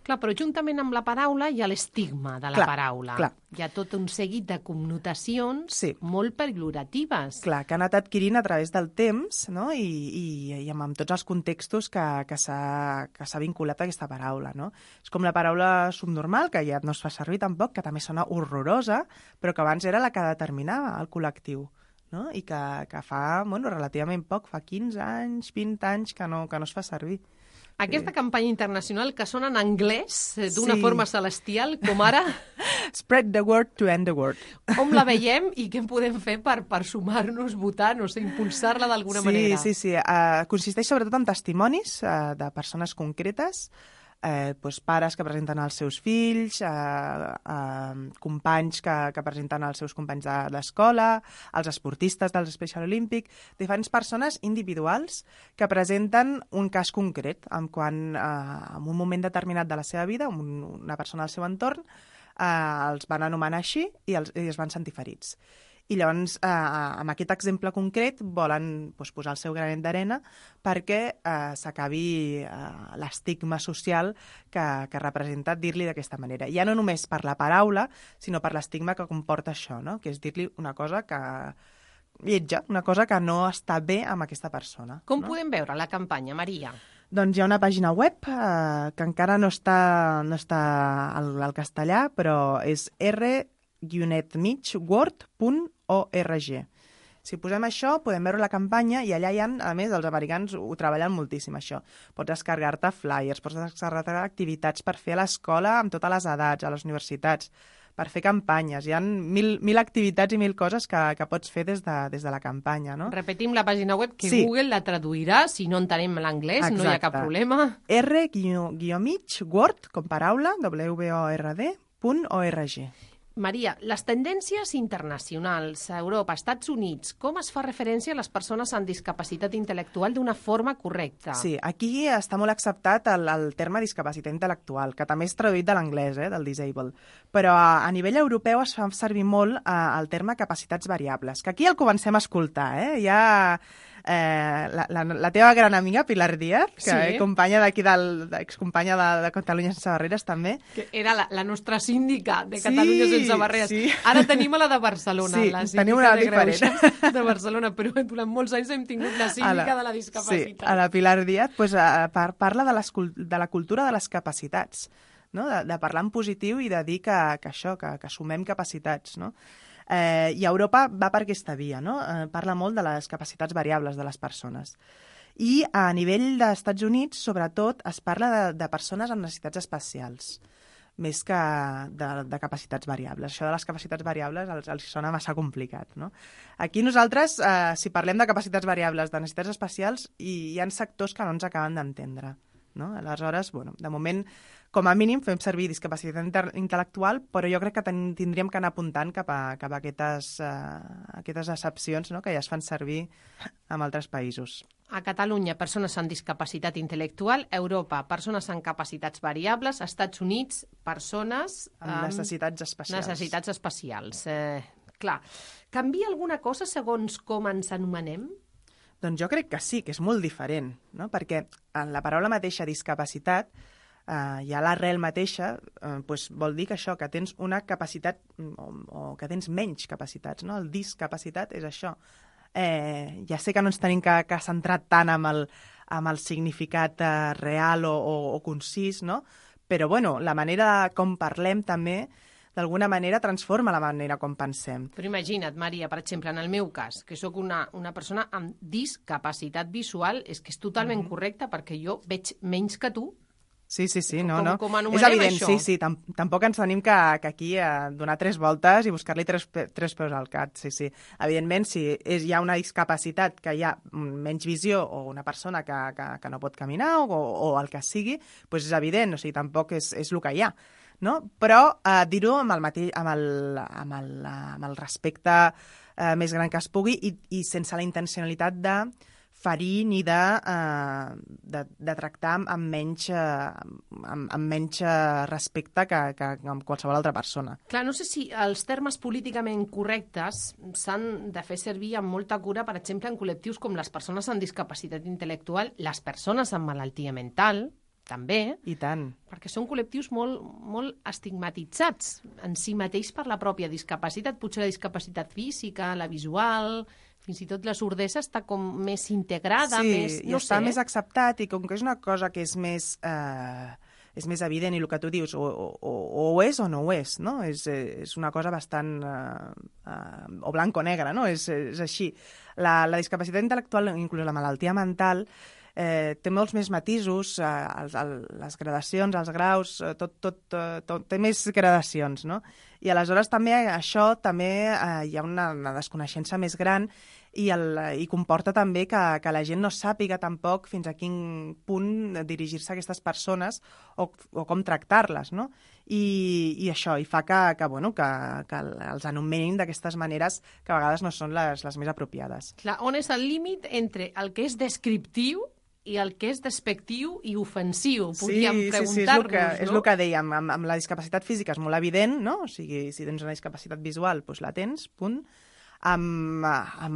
Clar, però juntament amb la paraula hi ha l'estigma de la paraula. Clar. Hi ha tot un seguit de connotacions molt pejoratives. Clar, que han anat adquirint a través del temps, no? I amb tots els contextos que s'ha vinculat a aquesta paraula, no? És com la paraula subnormal, que ja no es fa servir tampoc, que també sona horrorosa, però que abans era la que determinava el col·lectiu, no? I que fa relativament poc, fa 15 anys, 20 anys que no es fa servir. Aquesta campanya internacional que sona en anglès d'una forma celestial, com ara... Spread the word to end the word. On la veiem i què en podem fer per sumar-nos, votar, no sé, impulsar-la d'alguna manera? Sí. Consisteix sobretot en testimonis de persones concretes, pares que presenten els seus fills, companys que presenten els seus companys d'escola, els esportistes dels Special Olympics, diferents persones individuals que presenten un cas concret en un moment determinat de la seva vida, una persona del seu entorn, els van anomenar així i es van sentir ferits. I llavors, amb aquest exemple concret, volen posar el seu granet d'arena perquè s'acabi l'estigma social que representa dir-li d'aquesta manera. Ja no només per la paraula, sinó per l'estigma que comporta això, no? Que és dir-li una cosa lletja, una cosa que no està bé amb aquesta persona. Com podem veure la campanya, Maria? Doncs hi ha una pàgina web que encara no està al castellà, però és r-mitchword.org. Si posem això, podem veure la campanya i allà hi ha, a més, els americans ho treballen moltíssim, això. Pots descarregar-te flyers, pots descarregar-te activitats per fer a l'escola amb totes les edats, a les universitats, per fer campanyes. Hi ha mil activitats i mil coses que pots fer des de la campanya, no? Repetim la pàgina web, que Google la traduirà, si no entenem l'anglès, no hi ha cap problema. r-mitchword, com paraula, word.org. Maria, les tendències internacionals a Europa, Estats Units, com es fa referència a les persones amb discapacitat intel·lectual d'una forma correcta? Sí, aquí està molt acceptat el terme discapacitat intel·lectual, que també és traduït de l'anglès, del disable. Però a nivell europeu es fa servir molt el terme capacitats variables, que aquí el comencem a escoltar. Ja la teva gran amiga, Pilar Díaz, que sí. companya d'aquí, excompanya de Catalunya sense barreres, també. Que era la nostra síndica de Catalunya sense barreres. Sí. Ara tenim a la de Barcelona, sí, la síndica de Greuges de Barcelona, però durant molts anys hem tingut la síndica de la discapacitat. Sí, a la Pilar Díaz parla de la cultura de les capacitats, no? de parlar en positiu i de dir que sumem capacitats, no? I Europa va per aquesta via, no? Parla molt de les capacitats variables de les persones. I a nivell dels Estats Units, sobretot, es parla de persones amb necessitats especials, més que de capacitats variables. Això de les capacitats variables els sona massa complicat, no? Aquí nosaltres, si parlem de capacitats variables, de necessitats especials, hi ha sectors que no ens acaben d'entendre, no? Aleshores, de moment, com a mínim, fem servir discapacitat intel·lectual, però jo crec que tindríem que anar apuntant cap a aquestes excepcions, no?, que ja es fan servir en altres països. A Catalunya, persones amb discapacitat intel·lectual; Europa, persones amb capacitats variables; Estats Units, persones amb necessitats especials. Necessitats especials. Clar, canvia alguna cosa segons com ens anomenem? Doncs jo crec que sí, que és molt diferent, no? Perquè en la paraula mateixa discapacitat ja l'arrel mateixa vol dir que això, que tens una capacitat o que tens menys capacitats, no? El discapacitat és això. Ja sé que no ens tenim que centrar tant amb el significat real o concís, no? Però la manera com parlem també d'alguna manera transforma la manera com pensem. Però imagina't, Maria, per exemple, en el meu cas, que sóc una persona amb discapacitat visual, és que és totalment correcte perquè jo veig menys que tu. Sí, no. Com és evident, això? Sí, tampoc ens tenim que aquí donar 3 voltes i buscar-li tres peus al gat, sí. Evidentment, si hi ha una discapacitat que hi ha menys visió o una persona que no pot caminar o el que sigui, doncs és evident, o sigui, tampoc és el que hi ha, no? Però dir-ho amb el respecte més gran que es pugui i sense la intencionalitat de ferir ni de tractar amb menys respecte que amb qualsevol altra persona. Clar, no sé si els termes políticament correctes s'han de fer servir amb molta cura, per exemple, en col·lectius com les persones amb discapacitat intel·lectual, les persones amb malaltia mental, també. I tant. Perquè són col·lectius molt, molt estigmatitzats en si mateix per la pròpia discapacitat. Potser la discapacitat física, la visual, fins i tot la sordesa està com més integrada, està més acceptat, i com que és una cosa que és més evident, i el que tu dius, o ho és o no ho és, no? És una cosa bastant o blanc o negre, no? És així. La discapacitat intel·lectual, inclús la malaltia mental, té molts més matisos, les gradacions, els graus, tot té més gradacions, no? I aleshores també hi ha una desconeixença més gran i comporta també que la gent no sàpiga tampoc fins a quin punt dirigir-se a aquestes persones o com tractar-les, no? I això, i fa que els anomenin d'aquestes maneres que a vegades no són les més apropiades. Clar, on és el límit entre el que és descriptiu i el que és despectiu i ofensiu, podríem preguntar-nos, no? És el que dèiem, amb la discapacitat física és molt evident, no? O sigui, si tens una discapacitat visual, doncs la tens, punt. Amb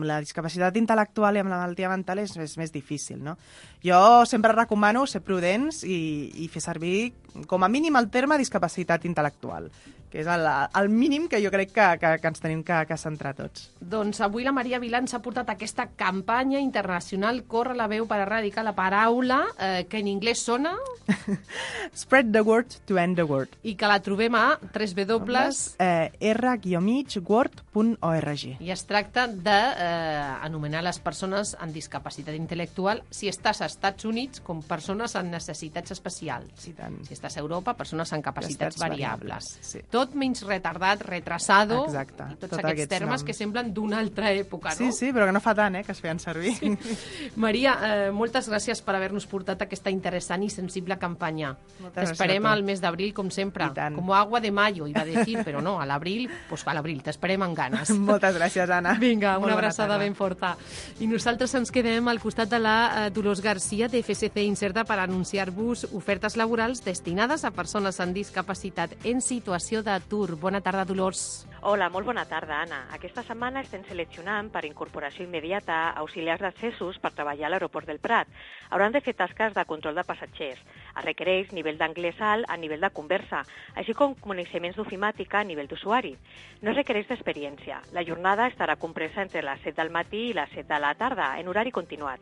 la discapacitat intel·lectual i amb la malaltia mental és més difícil, no? Jo sempre recomano ser prudents i fer servir com a mínim el terme discapacitat intel·lectual, que és el mínim que jo crec que ens tenim que centrar tots. Doncs avui la Maria Vilà ens ha portat aquesta campanya internacional Corre la veu per erradicar la paraula, que en anglès sona... Spread the word to end the word. I que la trobem a www.r-word.org. Ja es tracta d'anomenar les persones amb discapacitat intel·lectual, si estàs als Estats Units, com persones amb necessitats especials. I tant. Si estàs a Europa, persones amb capacitats variables. Sí. Tot menys retardat, retrasado, Exacte. i tots aquests termes que semblen d'una altra època, no? Sí, però que no fa tant, que es feien servir. Sí. Maria, moltes gràcies per haver-nos portat aquesta interessant i sensible campanya. T'esperem al mes d'abril, com sempre. Com agua de mayo, iba a decir, però no, a l'abril, pues a l'abril, t'esperem amb ganes. Moltes gràcies, Anna. Vinga, una abraçada ben forta. I nosaltres ens quedem al costat de la Dolors Garcia, de FSC Inserta, per anunciar-vos ofertes laborals destinades a persones amb discapacitat en situació d'atur. Bona tarda, Dolors. Hola, molt bona tarda, Anna. Aquesta setmana estem seleccionant per incorporació immediata auxiliars d'accessos per treballar a l'aeroport del Prat. Hauran de fer tasques de control de passatgers. Es requereix nivell d'anglès alt a nivell de conversa, així com coneixements d'ofimàtica a nivell d'usuari. No es requereix d'experiència. La jornada estarà compresa entre les 7 del matí i les 7 de la tarda, en horari continuat.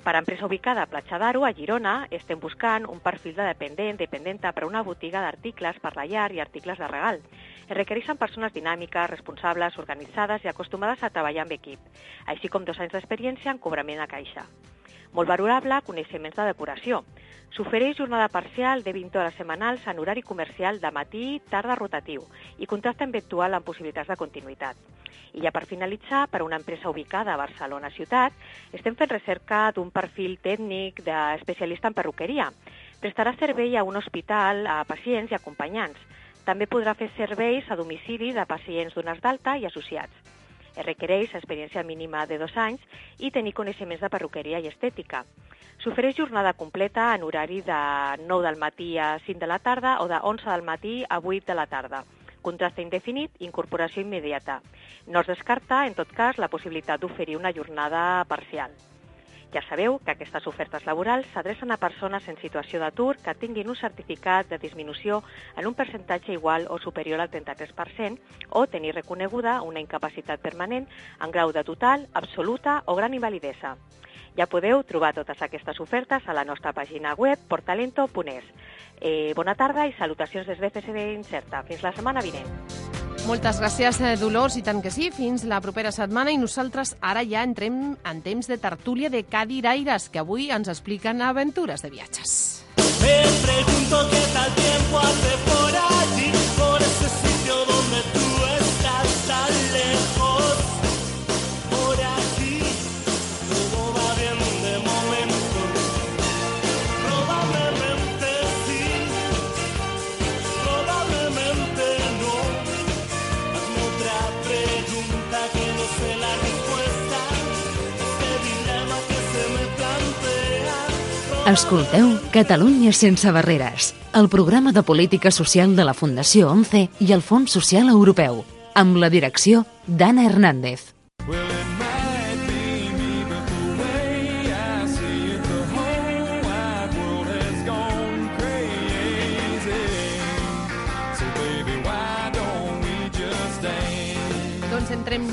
Per a empresa ubicada a Platja d'Aro, a Girona, estem buscant un perfil de dependenta per a una botiga d'articles per la llar i articles de regal. Es requereixen persones dinàmiques, responsables, organitzades i acostumades a treballar amb equip, així com 2 anys d'experiència en cobrament a caixa. Molt valorable, coneixements de decoració. S'ofereix jornada parcial de 20 hores setmanals en horari comercial de matí, tarda rotatiu i contracte eventual amb possibilitats de continuïtat. I ja per finalitzar, per a una empresa ubicada a Barcelona ciutat, estem fent recerca d'un perfil tècnic d'especialista en perruqueria. Prestarà servei a un hospital a pacients i acompanyants. També podrà fer serveis a domicili de pacients donats d'alta i associats. Es requereix experiència mínima de 2 anys i tenir coneixements de perruqueria i estètica. S'ofereix jornada completa en horari de 9 del matí a 5 de la tarda o de 11 del matí a 8 de la tarda. Contracte indefinit, incorporació immediata. No es descarta, en tot cas, la possibilitat d'oferir una jornada parcial. Ja sabeu que aquestes ofertes laborals s'adrecen a persones en situació d'atur que tinguin un certificat de disminució en un percentatge igual o superior al 33% o tenir reconeguda una incapacitat permanent en grau de total, absoluta o gran invalidesa. Ja podeu trobar totes aquestes ofertes a la nostra pàgina web portalento.es. Bona tarda i salutacions des d'FSC Inserta. Fins la setmana vinent. Moltes gràcies, Dolors, i tant que sí, fins la propera setmana. I nosaltres ara ja entrem en temps de tertúlia de cadiraires, que avui ens expliquen aventures de viatges. Me pregunto qué tal tiempo hace por allí, por ese sitio donde tú estás tan lejos. Por aquí todo va bien de momento. Probablemente sí, probablemente no. Hazme otra pregunta que no sé la respuesta. Este dilema que se me plantea. Escolteu Catalunya sense barreres, el programa de política social de la Fundació 11 i el Fons Social Europeu, amb la direcció d'Anna Hernández. Doncs entrem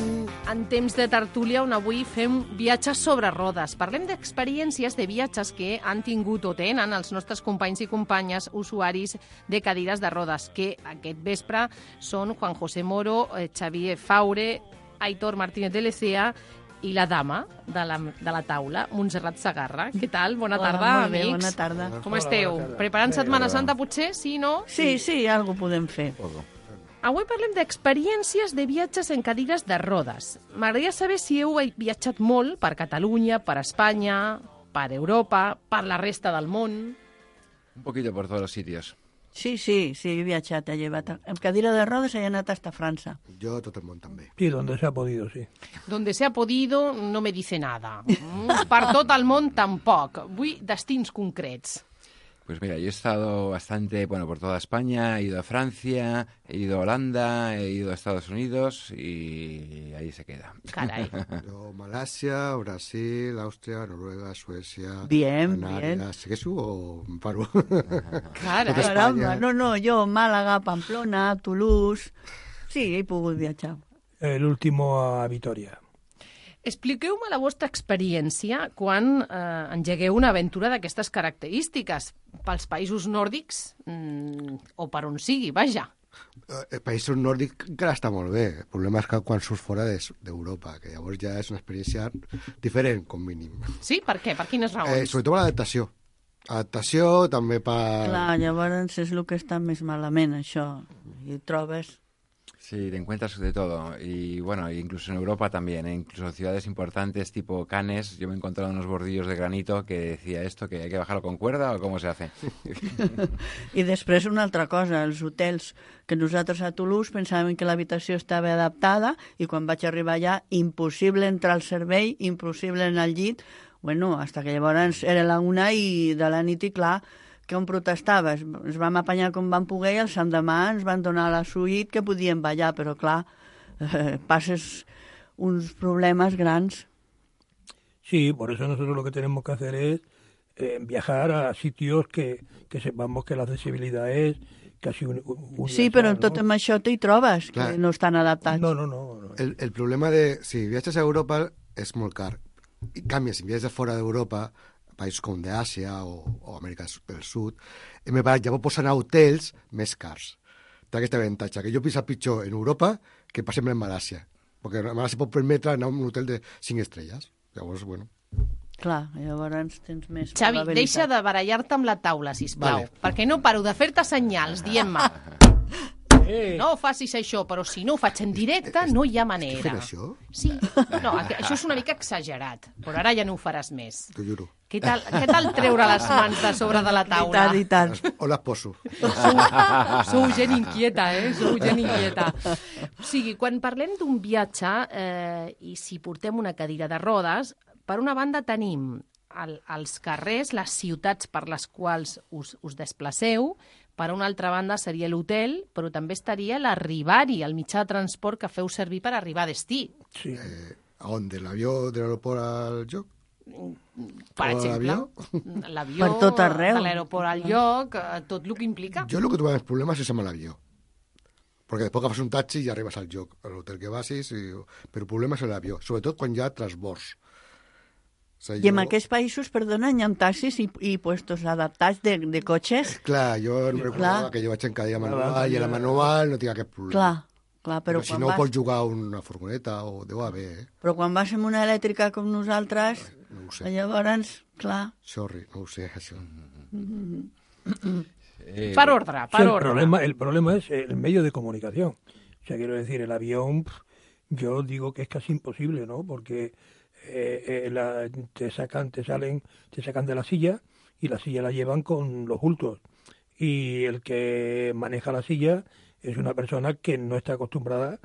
en temps de tertúlia, on avui fem viatges sobre rodes. Parlem d'experiències de viatges que han tingut o tenen els nostres companys i companyes usuaris de cadires de rodes, que aquest vespre són Juan José Moro, Xavier Faure, Aitor Martínez de Lecea i la dama de la taula, Montserrat Sagarra. Què tal? Bona tarda, molt bé, amics. bona tarda. Com esteu? Preparant Setmana Santa, potser? Sí, no? Sí, algo podem fer. Avui parlem d'experiències de viatges en cadires de rodes. M'agradaria saber si heu viatjat molt per Catalunya, per Espanya, per Europa, per la resta del món. Un poquito por todos los sitios. Sí, he viatjat, he llevat. En cadira de rodes he anat hasta França. Yo tot el món també. Sí, donde se ha podido, sí. Donde se ha podido no me dice nada. Per tot el món tampoc. Vull destins concrets. Pues mira, yo he estado bastante, por toda España, he ido a Francia, he ido a Holanda, he ido a Estados Unidos y ahí se queda. Caray. Yo, Malasia, Brasil, Austria, Noruega, Suecia, Bien. ¿Segueixo o em paro? Caramba, no, jo Màlaga, Pamplona, Toulouse... Sí, he pogut viatjar. El último a Vitoria. Expliqueu-me la vostra experiència quan engegueu una aventura d'aquestes característiques pels països nòrdics o per on sigui, vaja. Països nòrdics encara està molt bé. El problema és que quan surts fora d'Europa, que llavors ja és una experiència diferent, com mínim. Sí? Per què? Per quines raons? Sobretot per l'adaptació. Adaptació, també per... Clar, llavors és el que està més malament, això. I trobes... Sí, te encuentras de todo. Y bueno, incluso en Europa también, ¿eh? Incluso ciudades importantes tipo Cannes, yo me he encontrado unos bordillos de granito que decía esto, que hay que bajarlo con cuerda o cómo se hace. I després una altra cosa, els hotels que nosaltres a Toulouse pensàvem que l'habitació estava adaptada i quan vaig arribar allà, impossible entrar al servei, impossible anar al llit. Bueno, hasta que llavors era la 1 i de la nit i clar, que on protestaves? Ens vam apanyar com vam poder i el sant demà ens van donar la suite que podíem ballar, però clar, passes uns problemes grans. Sí, por eso nosotros lo que tenemos que hacer es viajar a sitios que sepamos que la accesibilidad es casi universal. Sí, però tot amb això t'hi trobes, Clar. que no estan adaptats. No. El problema de... Si viatges a Europa és molt car. En canvi, si viatges de fora d'Europa, països com d'Àsia o Amèrica del Sud, llavors pots anar a hotels més cars. Té aquest avantatge, que jo penso pitjor en Europa que, per exemple, en Malàsia. Perquè a Malàsia pot permetre anar a un hotel de 5 estrelles. Llavors, bueno... Clar, llavors tens més Xavi, probabilitat. deixa de barallar-te amb la taula, sisplau, Vale. perquè no paro de fer-te senyals dient-me no facis això, però si no ho faig en directe no hi ha manera. Fent això? Sí, no, això és una mica exagerat, però ara ja no ho faràs més. T'ho juro. Què tal treure les mans de sobre de la taula? I tant. O les poso. Sou gent inquieta, Sou gent inquieta. O sigui, quan parlem d'un viatge i si portem una cadira de rodes, per una banda tenim els carrers, les ciutats per les quals us desplaceu, per una altra banda seria l'hotel, però també estaria l'arribar-hi, el mitjà de transport que feu servir per arribar a destí. Sí. A on? De l'avió de l'aeroport al lloc? Per exemple, l'avió, Per tot arreu. de l'aeroport al lloc, tot el que implica. Jo el que trobo més problemes és amb l'avió. Perquè després agafes un taxi i arribes al lloc, a l'hotel que vagis, però el problema és l'avió, sobretot quan hi ha transbords. O sigui, I en aquests països, perdona, hi ha taxis i puestos adaptats de cotxes? Clar, jo no recordava que jo vaig en cadira manual i a la manual no tinc aquest problema. Clar, però si quan no vas... pots jugar a una furgoneta o deu haver, Però quan vas amb una elèctrica com nosaltres, no ho sé. llavors, clar... Sorry, no ho sé, això. Per ordre, Sí, el problema es el medio de comunicación. O sea, quiero decir, el avión, yo digo que es casi imposible, ¿no? Porque te sacan de la silla y la silla la llevan con los bultos. Y el que maneja la silla es una persona que no está acostumbrada,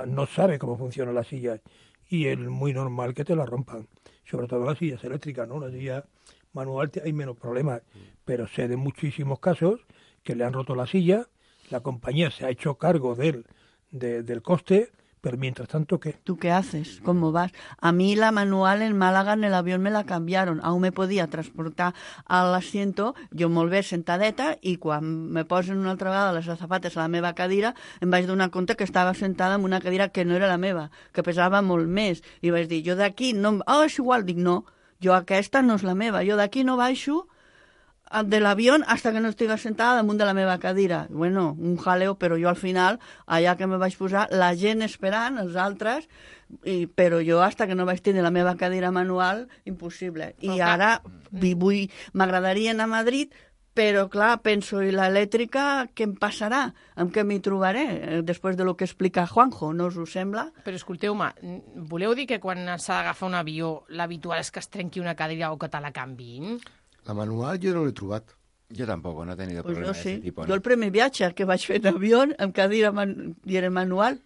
no sabe cómo funciona la silla. Y es muy normal que te la rompan. Sobre todo las sillas eléctricas, ¿no? La silla manual hay menos problemas. Pero sé de muchísimos casos que le han roto la silla, la compañía se ha hecho cargo del coste, pero mientras tanto, ¿qué? ¿Tú qué haces? ¿Cómo vas? A mí la manual en Málaga en el avión me la cambiaron. Aún me podía transportar al asiento, jo molt bé sentadeta, i quan me posen una altra vegada les azafates a la meva cadira, em vaig donar compte que estava sentada en una cadira que no era la meva, que pesava molt més. I vaig dir, jo d'aquí no... és igual. Dic, no, jo aquesta no és la meva. Jo d'aquí no baixo de l'avión hasta que no estigui sentada damunt de la meva cadira. Bueno, un jaleo, però jo al final, allà que me vaig posar, la gent esperant, els altres, però jo hasta que no vaig tenir la meva cadira manual, impossible. I ara m'agradaria anar a Madrid, però clar, penso, i l'elèctrica, què em passarà? Amb què m'hi trobaré? Després de lo que explica Juanjo, no us ho sembla? Però escolteu-me, voleu dir que quan s'ha d'agafar un avió, l'habitual és que es trenqui una cadira o que te la canviïn? La manual jo no l'he trobat. Yo tampoco, no he tenido Pues problemas yo de sí. ese tipo. Yo el primer viaje que vaig fer en avión, amb cadira i era manual.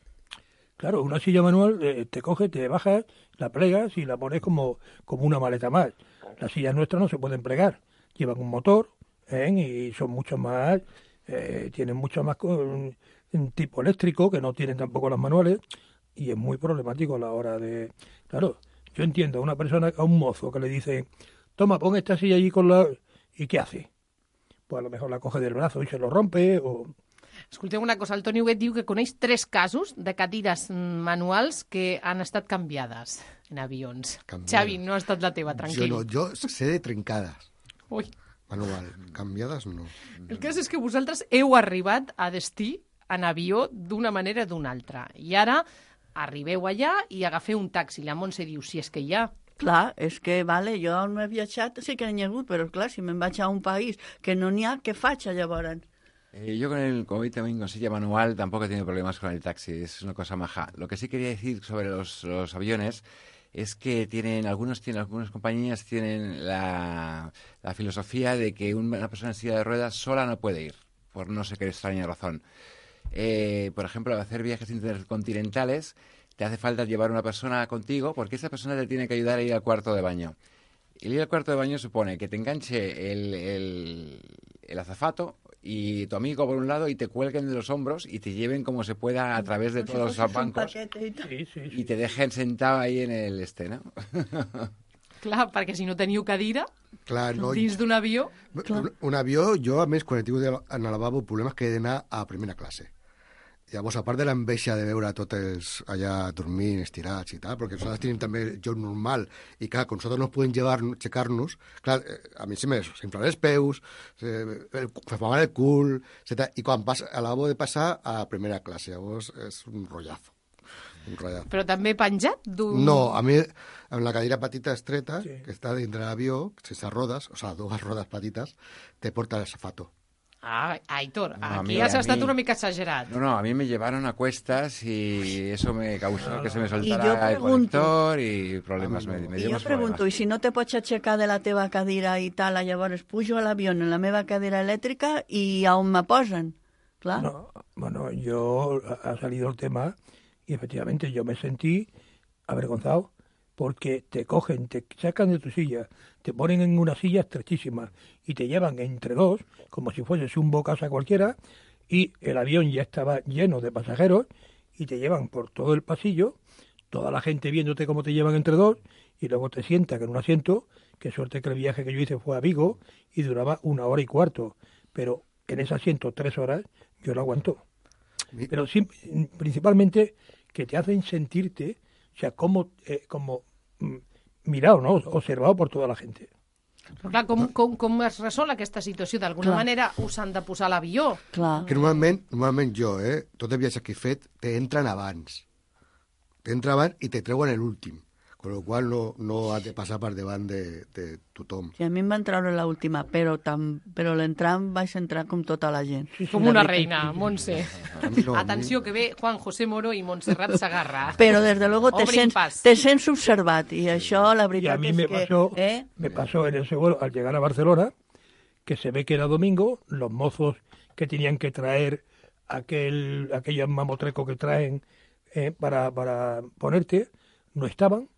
Claro, una silla manual te coge, te bajas, la plegas y la pones como una maleta más. Las sillas nuestras no se pueden plegar. Llevan un motor y son mucho más, tienen mucho más un tipo eléctrico que no tienen tampoco las manuales y es muy problemático a la hora de... Claro, yo entiendo a una persona, a un mozo que le dice, toma, pon esta silla allí con la... ¿Y qué hace? Pues a lo mejor la coge del brazo y se lo rompe o... Escolteu una cosa, el Toni Huguet diu que coneix 3 casos de cadires manuals que han estat canviades en avions. Xavi, no ha estat la teva, tranquil. Jo sé de trencades. Ui. Manual. Canviades, no. El cas és que vosaltres heu arribat a destí en avió d'una manera o d'una altra. I ara arribeu allà i agafeu un taxi. La Montse diu, si és que hi ha. Clar, és que, vale, jo on he viatjat sí que n'hi ha hagut, però clar, si me'n vaig a un país que no n'hi ha, què faig llavors? Yo con el COVID también con silla manual tampoco he tenido problemas con el taxi, es una cosa maja. Lo que sí quería decir sobre los aviones es que algunas compañías tienen la filosofía de que una persona en silla de ruedas sola no puede ir, por no sé qué extraña razón. Por ejemplo, hacer viajes intercontinentales te hace falta llevar una persona contigo porque esa persona te tiene que ayudar a ir al cuarto de baño. El ir al cuarto de baño supone que te enganche el azafato y tu amigo por un lado y te cuelguen de los hombros y te lleven como se pueda a través de todos los bancos y te dejen sentado ahí en el ¿no? Clar, perquè si no teniu cadira dins d'un avió... Un avió, jo, a més, quan he tingut en el lavabo problemes que he d'anar a primera classe. Llavors, a part de l'enveja de veure tots els allà dormint, estirats i tal, perquè nosaltres tenim també el joc normal, i clar, com nosaltres no podem aixecar-nos, clar, a mi s'inflen els peus, fa mal el cul, i quan a lavabo de passar a primera classe, llavors és un rotllazo. Però també penjat? No, a mi, amb la cadira petita estreta, que està dintre l'avió, sense rodes, o sigui, dues rodes petites, te porta el zapato. Ah, Aitor, aquí has estat una mica exagerat. No, a mí me llevaron a cuestas y eso me causó que se me soltara el conector y problemas. I jo pregunto, i si no te pots aixecar de la teva cadira i tal, llavors pujo a l'avió en la meva cadira elèctrica i a on me posen? Clar. No, bueno, yo ha salido el tema y efectivamente yo me sentí avergonzado porque te cogen, te sacan de tu silla, te ponen en una silla estrechísima y te llevan entre dos, como si fueses un bocasa cualquiera, y el avión ya estaba lleno de pasajeros y te llevan por todo el pasillo, toda la gente viéndote cómo te llevan entre dos, y luego te sientan en un asiento. Qué suerte que el viaje que yo hice fue a Vigo y duraba 1 hora y cuarto, pero en ese asiento 3 horas yo lo aguanto. Pero sí, principalmente que te hacen sentirte, o sea, como mirado, ¿no? Observado por toda la gente. Però clar, com es resol aquesta situació? D'alguna manera us han de posar a l'avió. Que normalment jo, tots els viatges que he fet, t'entren abans. T'entren abans i te treuen l'últim. Con lo qual no has de passar per davant de tothom. Sí, a mi em van treure l'última, però l'entrant vaig entrar com tota la gent. Com una reina, Montse. Atenció, que ve Juan José Moro i Montserrat Sagarra. Però, des de luego, te sents observat, i això, la veritat és que... Me pasó en ese vuelo, al llegar a Barcelona, que se ve que era domingo, los mozos que tenían que traer aquellos mamotrecos que traen para ponerte, no estaban.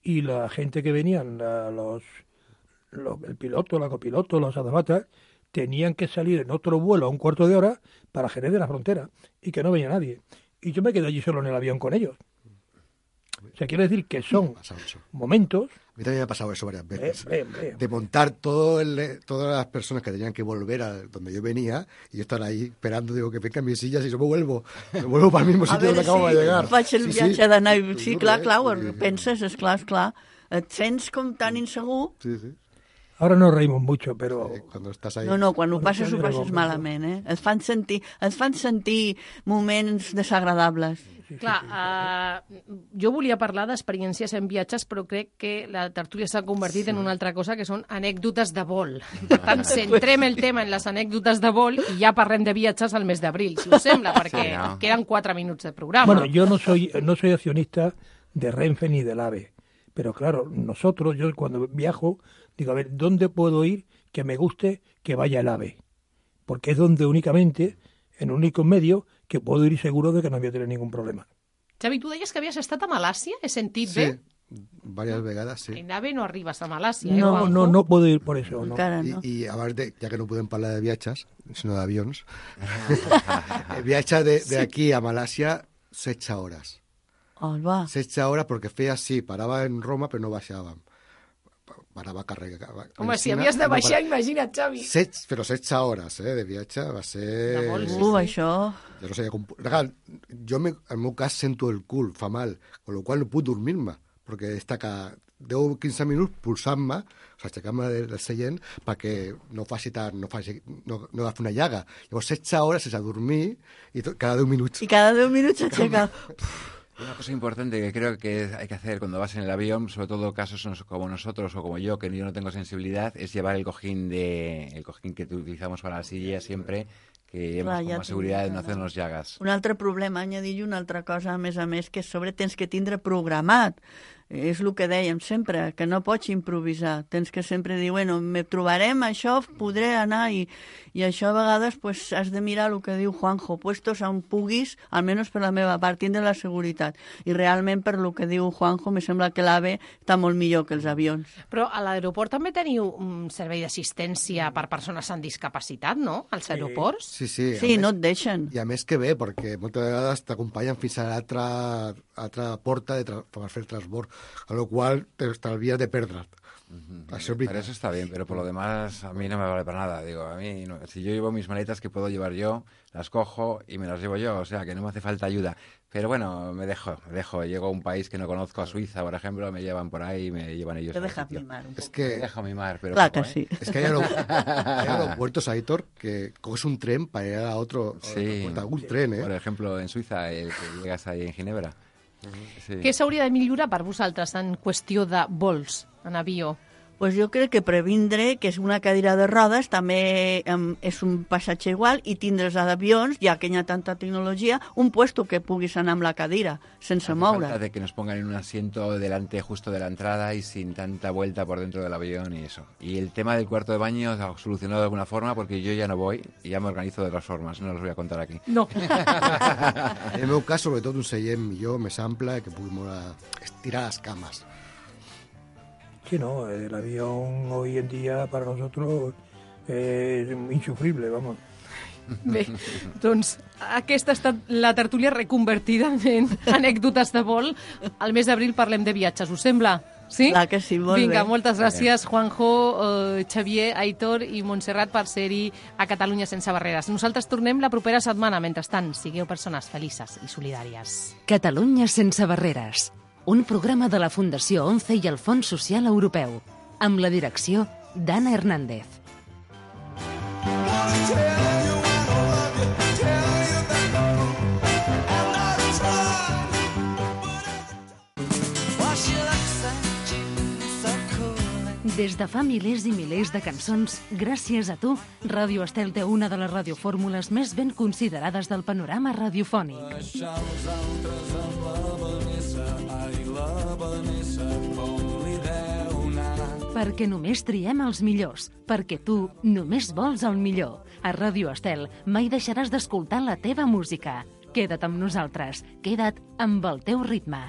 Y la gente que venían, el piloto, la copiloto, los azafatas, tenían que salir en otro vuelo a 1/4 de hora para Jerez de la Frontera y que no venía nadie. Y yo me quedé allí solo en el avión con ellos. O sea, quiero decir que son momentos... A mí también me ha pasado eso varias veces. De montar todas las personas que tenían que volver a donde yo venía y yo estar ahí esperando, digo, que vengan mis sillas y yo me vuelvo para el mismo sitio donde acabo de llegar. Faig el viatge d'anar... Sí, clar, penses, esclar. Et sents com tan insegur... Sí. Ahora nos reímos mucho, pero... Cuando estás ahí... No, quan ho passes malament, Et fan sentir moments desagradables. Clar, jo volia parlar d'experiències en viatges, però crec que la tertúlia s'ha convertit en una altra cosa, que són anècdotes de vol. Per tant, centrem el tema en les anècdotes de vol i ja parlem de viatges al mes d'abril, si us sembla, perquè queden 4 minuts de programa. Bueno, yo no soy accionista de Renfe ni del AVE, pero claro, yo cuando viajo, digo, a ver, ¿dónde puedo ir que me guste que vaya el AVE? Porque es donde únicamente, en un único medio, que puedo ir seguro de que no voy a tener ningún problema. Xavi, tu deies que havies estat a Malàsia? He sentit bé? Sí, varias vegades, sí. En AVE no arribes a Malàsia, No puedo ir por eso, no. I abans ja que no podem parlar de viatges, sinó d'avions, el viatge d'aquí a Malàsia, 16 hores. 16 hores perquè feia, sí, parava en Roma, però no baixàvem. Parava a carregar. Home, si havies de baixar, imagina't, Xavi. Però 16 hores de viatge va ser... Això... Jo no sabia com... Jo, en el meu cas, sento el cul, fa mal, con lo qual no puc dormir-me, perquè està que 10-15 minuts pulsant-me, o sigui, aixecant-me del seient perquè no agafi una llaga. Llavors, 16 hores sense dormir i cada 10 minuts. Y cada 10 minutos se checa. Una cosa importante que creo que hay que hacer cuando vas en el avión, sobre todo casos como nosotros o como yo, que yo no tengo sensibilidad, es llevar el cojín que utilizamos para la silla siempre, que hemos com a seguretat de no hacernos llagas. Un altre problema, añadir una altra cosa, a més, que sobre tens que tindre programat. És el que dèiem sempre, que no pots improvisar. Tens que sempre dir, bueno, me trobarem, això podré anar, i això a vegades pues, has de mirar el que diu Juanjo, puestos on puguis, almenys per la meva part, tindre la seguretat. I realment, per el que diu Juanjo, me sembla que l'AVE està molt millor que els avions. Però a l'aeroport també teniu un servei d'assistència per persones amb discapacitat, no? Als aeroports? Sí, no et deixen. I a més que bé, perquè moltes vegades t'acompanyen fins a l'altra porta per fer el transbord, a lo cual te estalvías de perdre't. Pero eso está bien, pero por lo demás a mí no me vale para nada. Digo, a mí no, si yo llevo mis maletas que puedo llevar yo, las cojo y me las llevo yo, o sea que no me hace falta ayuda. Pero bueno, me dejo. Llego a un país que no conozco, a Suiza, por ejemplo, me llevan por ahí y me llevan ellos. Te dejas mimar un poco. Es que... Me dejo mimar, pero claro poco, que sí. Es que hay aeropuertos, Aitor, que coges un tren para ir a otro aeropuerto, algún tren, ¿eh? Por ejemplo, en Suiza, el que llegas ahí en Ginebra. Sí. Què s'hauria de millorar per vosaltres en qüestió de vols en avió? Pues jo crec que previndre que és una cadira de rodes també és un passatge igual i tindre's a d'avions, ja que hi ha tanta tecnologia, un puesto que puguis anar amb la cadira sense moure. Falta de que nos pongan en un asiento delante justo de la entrada y sin tanta vuelta por dentro del avión y eso. Y el tema del cuarto de baño se ha solucionado de alguna forma porque yo ya no voy y ya me organizo de otras formas, no los voy a contar aquí. No. En el meu cas, sobretot un seient millor, més ample, que pugui estirar les cames. Sí, no, el avión hoy en día para nosotros es insufrible, vamos. Bé, doncs aquesta ha estat la tertúlia reconvertida en anècdotes de vol. Al mes d'abril parlem de viatges, us sembla? Sí? Clar que sí, molt Vinga, bé. moltes gràcies, Juanjo, Xavier, Aitor i Montserrat per ser-hi a Catalunya sense barreres. Nosaltres tornem la propera setmana. Mentrestant, sigueu persones felices i solidàries. Catalunya sense barreres. Un programa de la Fundació ONCE i el Fons Social Europeu, amb la direcció d'Anna Hernández. Des de fa milers i milers de cançons, gràcies a tu, Ràdio Estel té una de les radiofórmules més ben considerades del panorama radiofònic. Perquè només triem els millors, perquè tu només vols el millor. A Ràdio Estel mai deixaràs d'escoltar la teva música. Queda't amb nosaltres, queda't amb el teu ritme.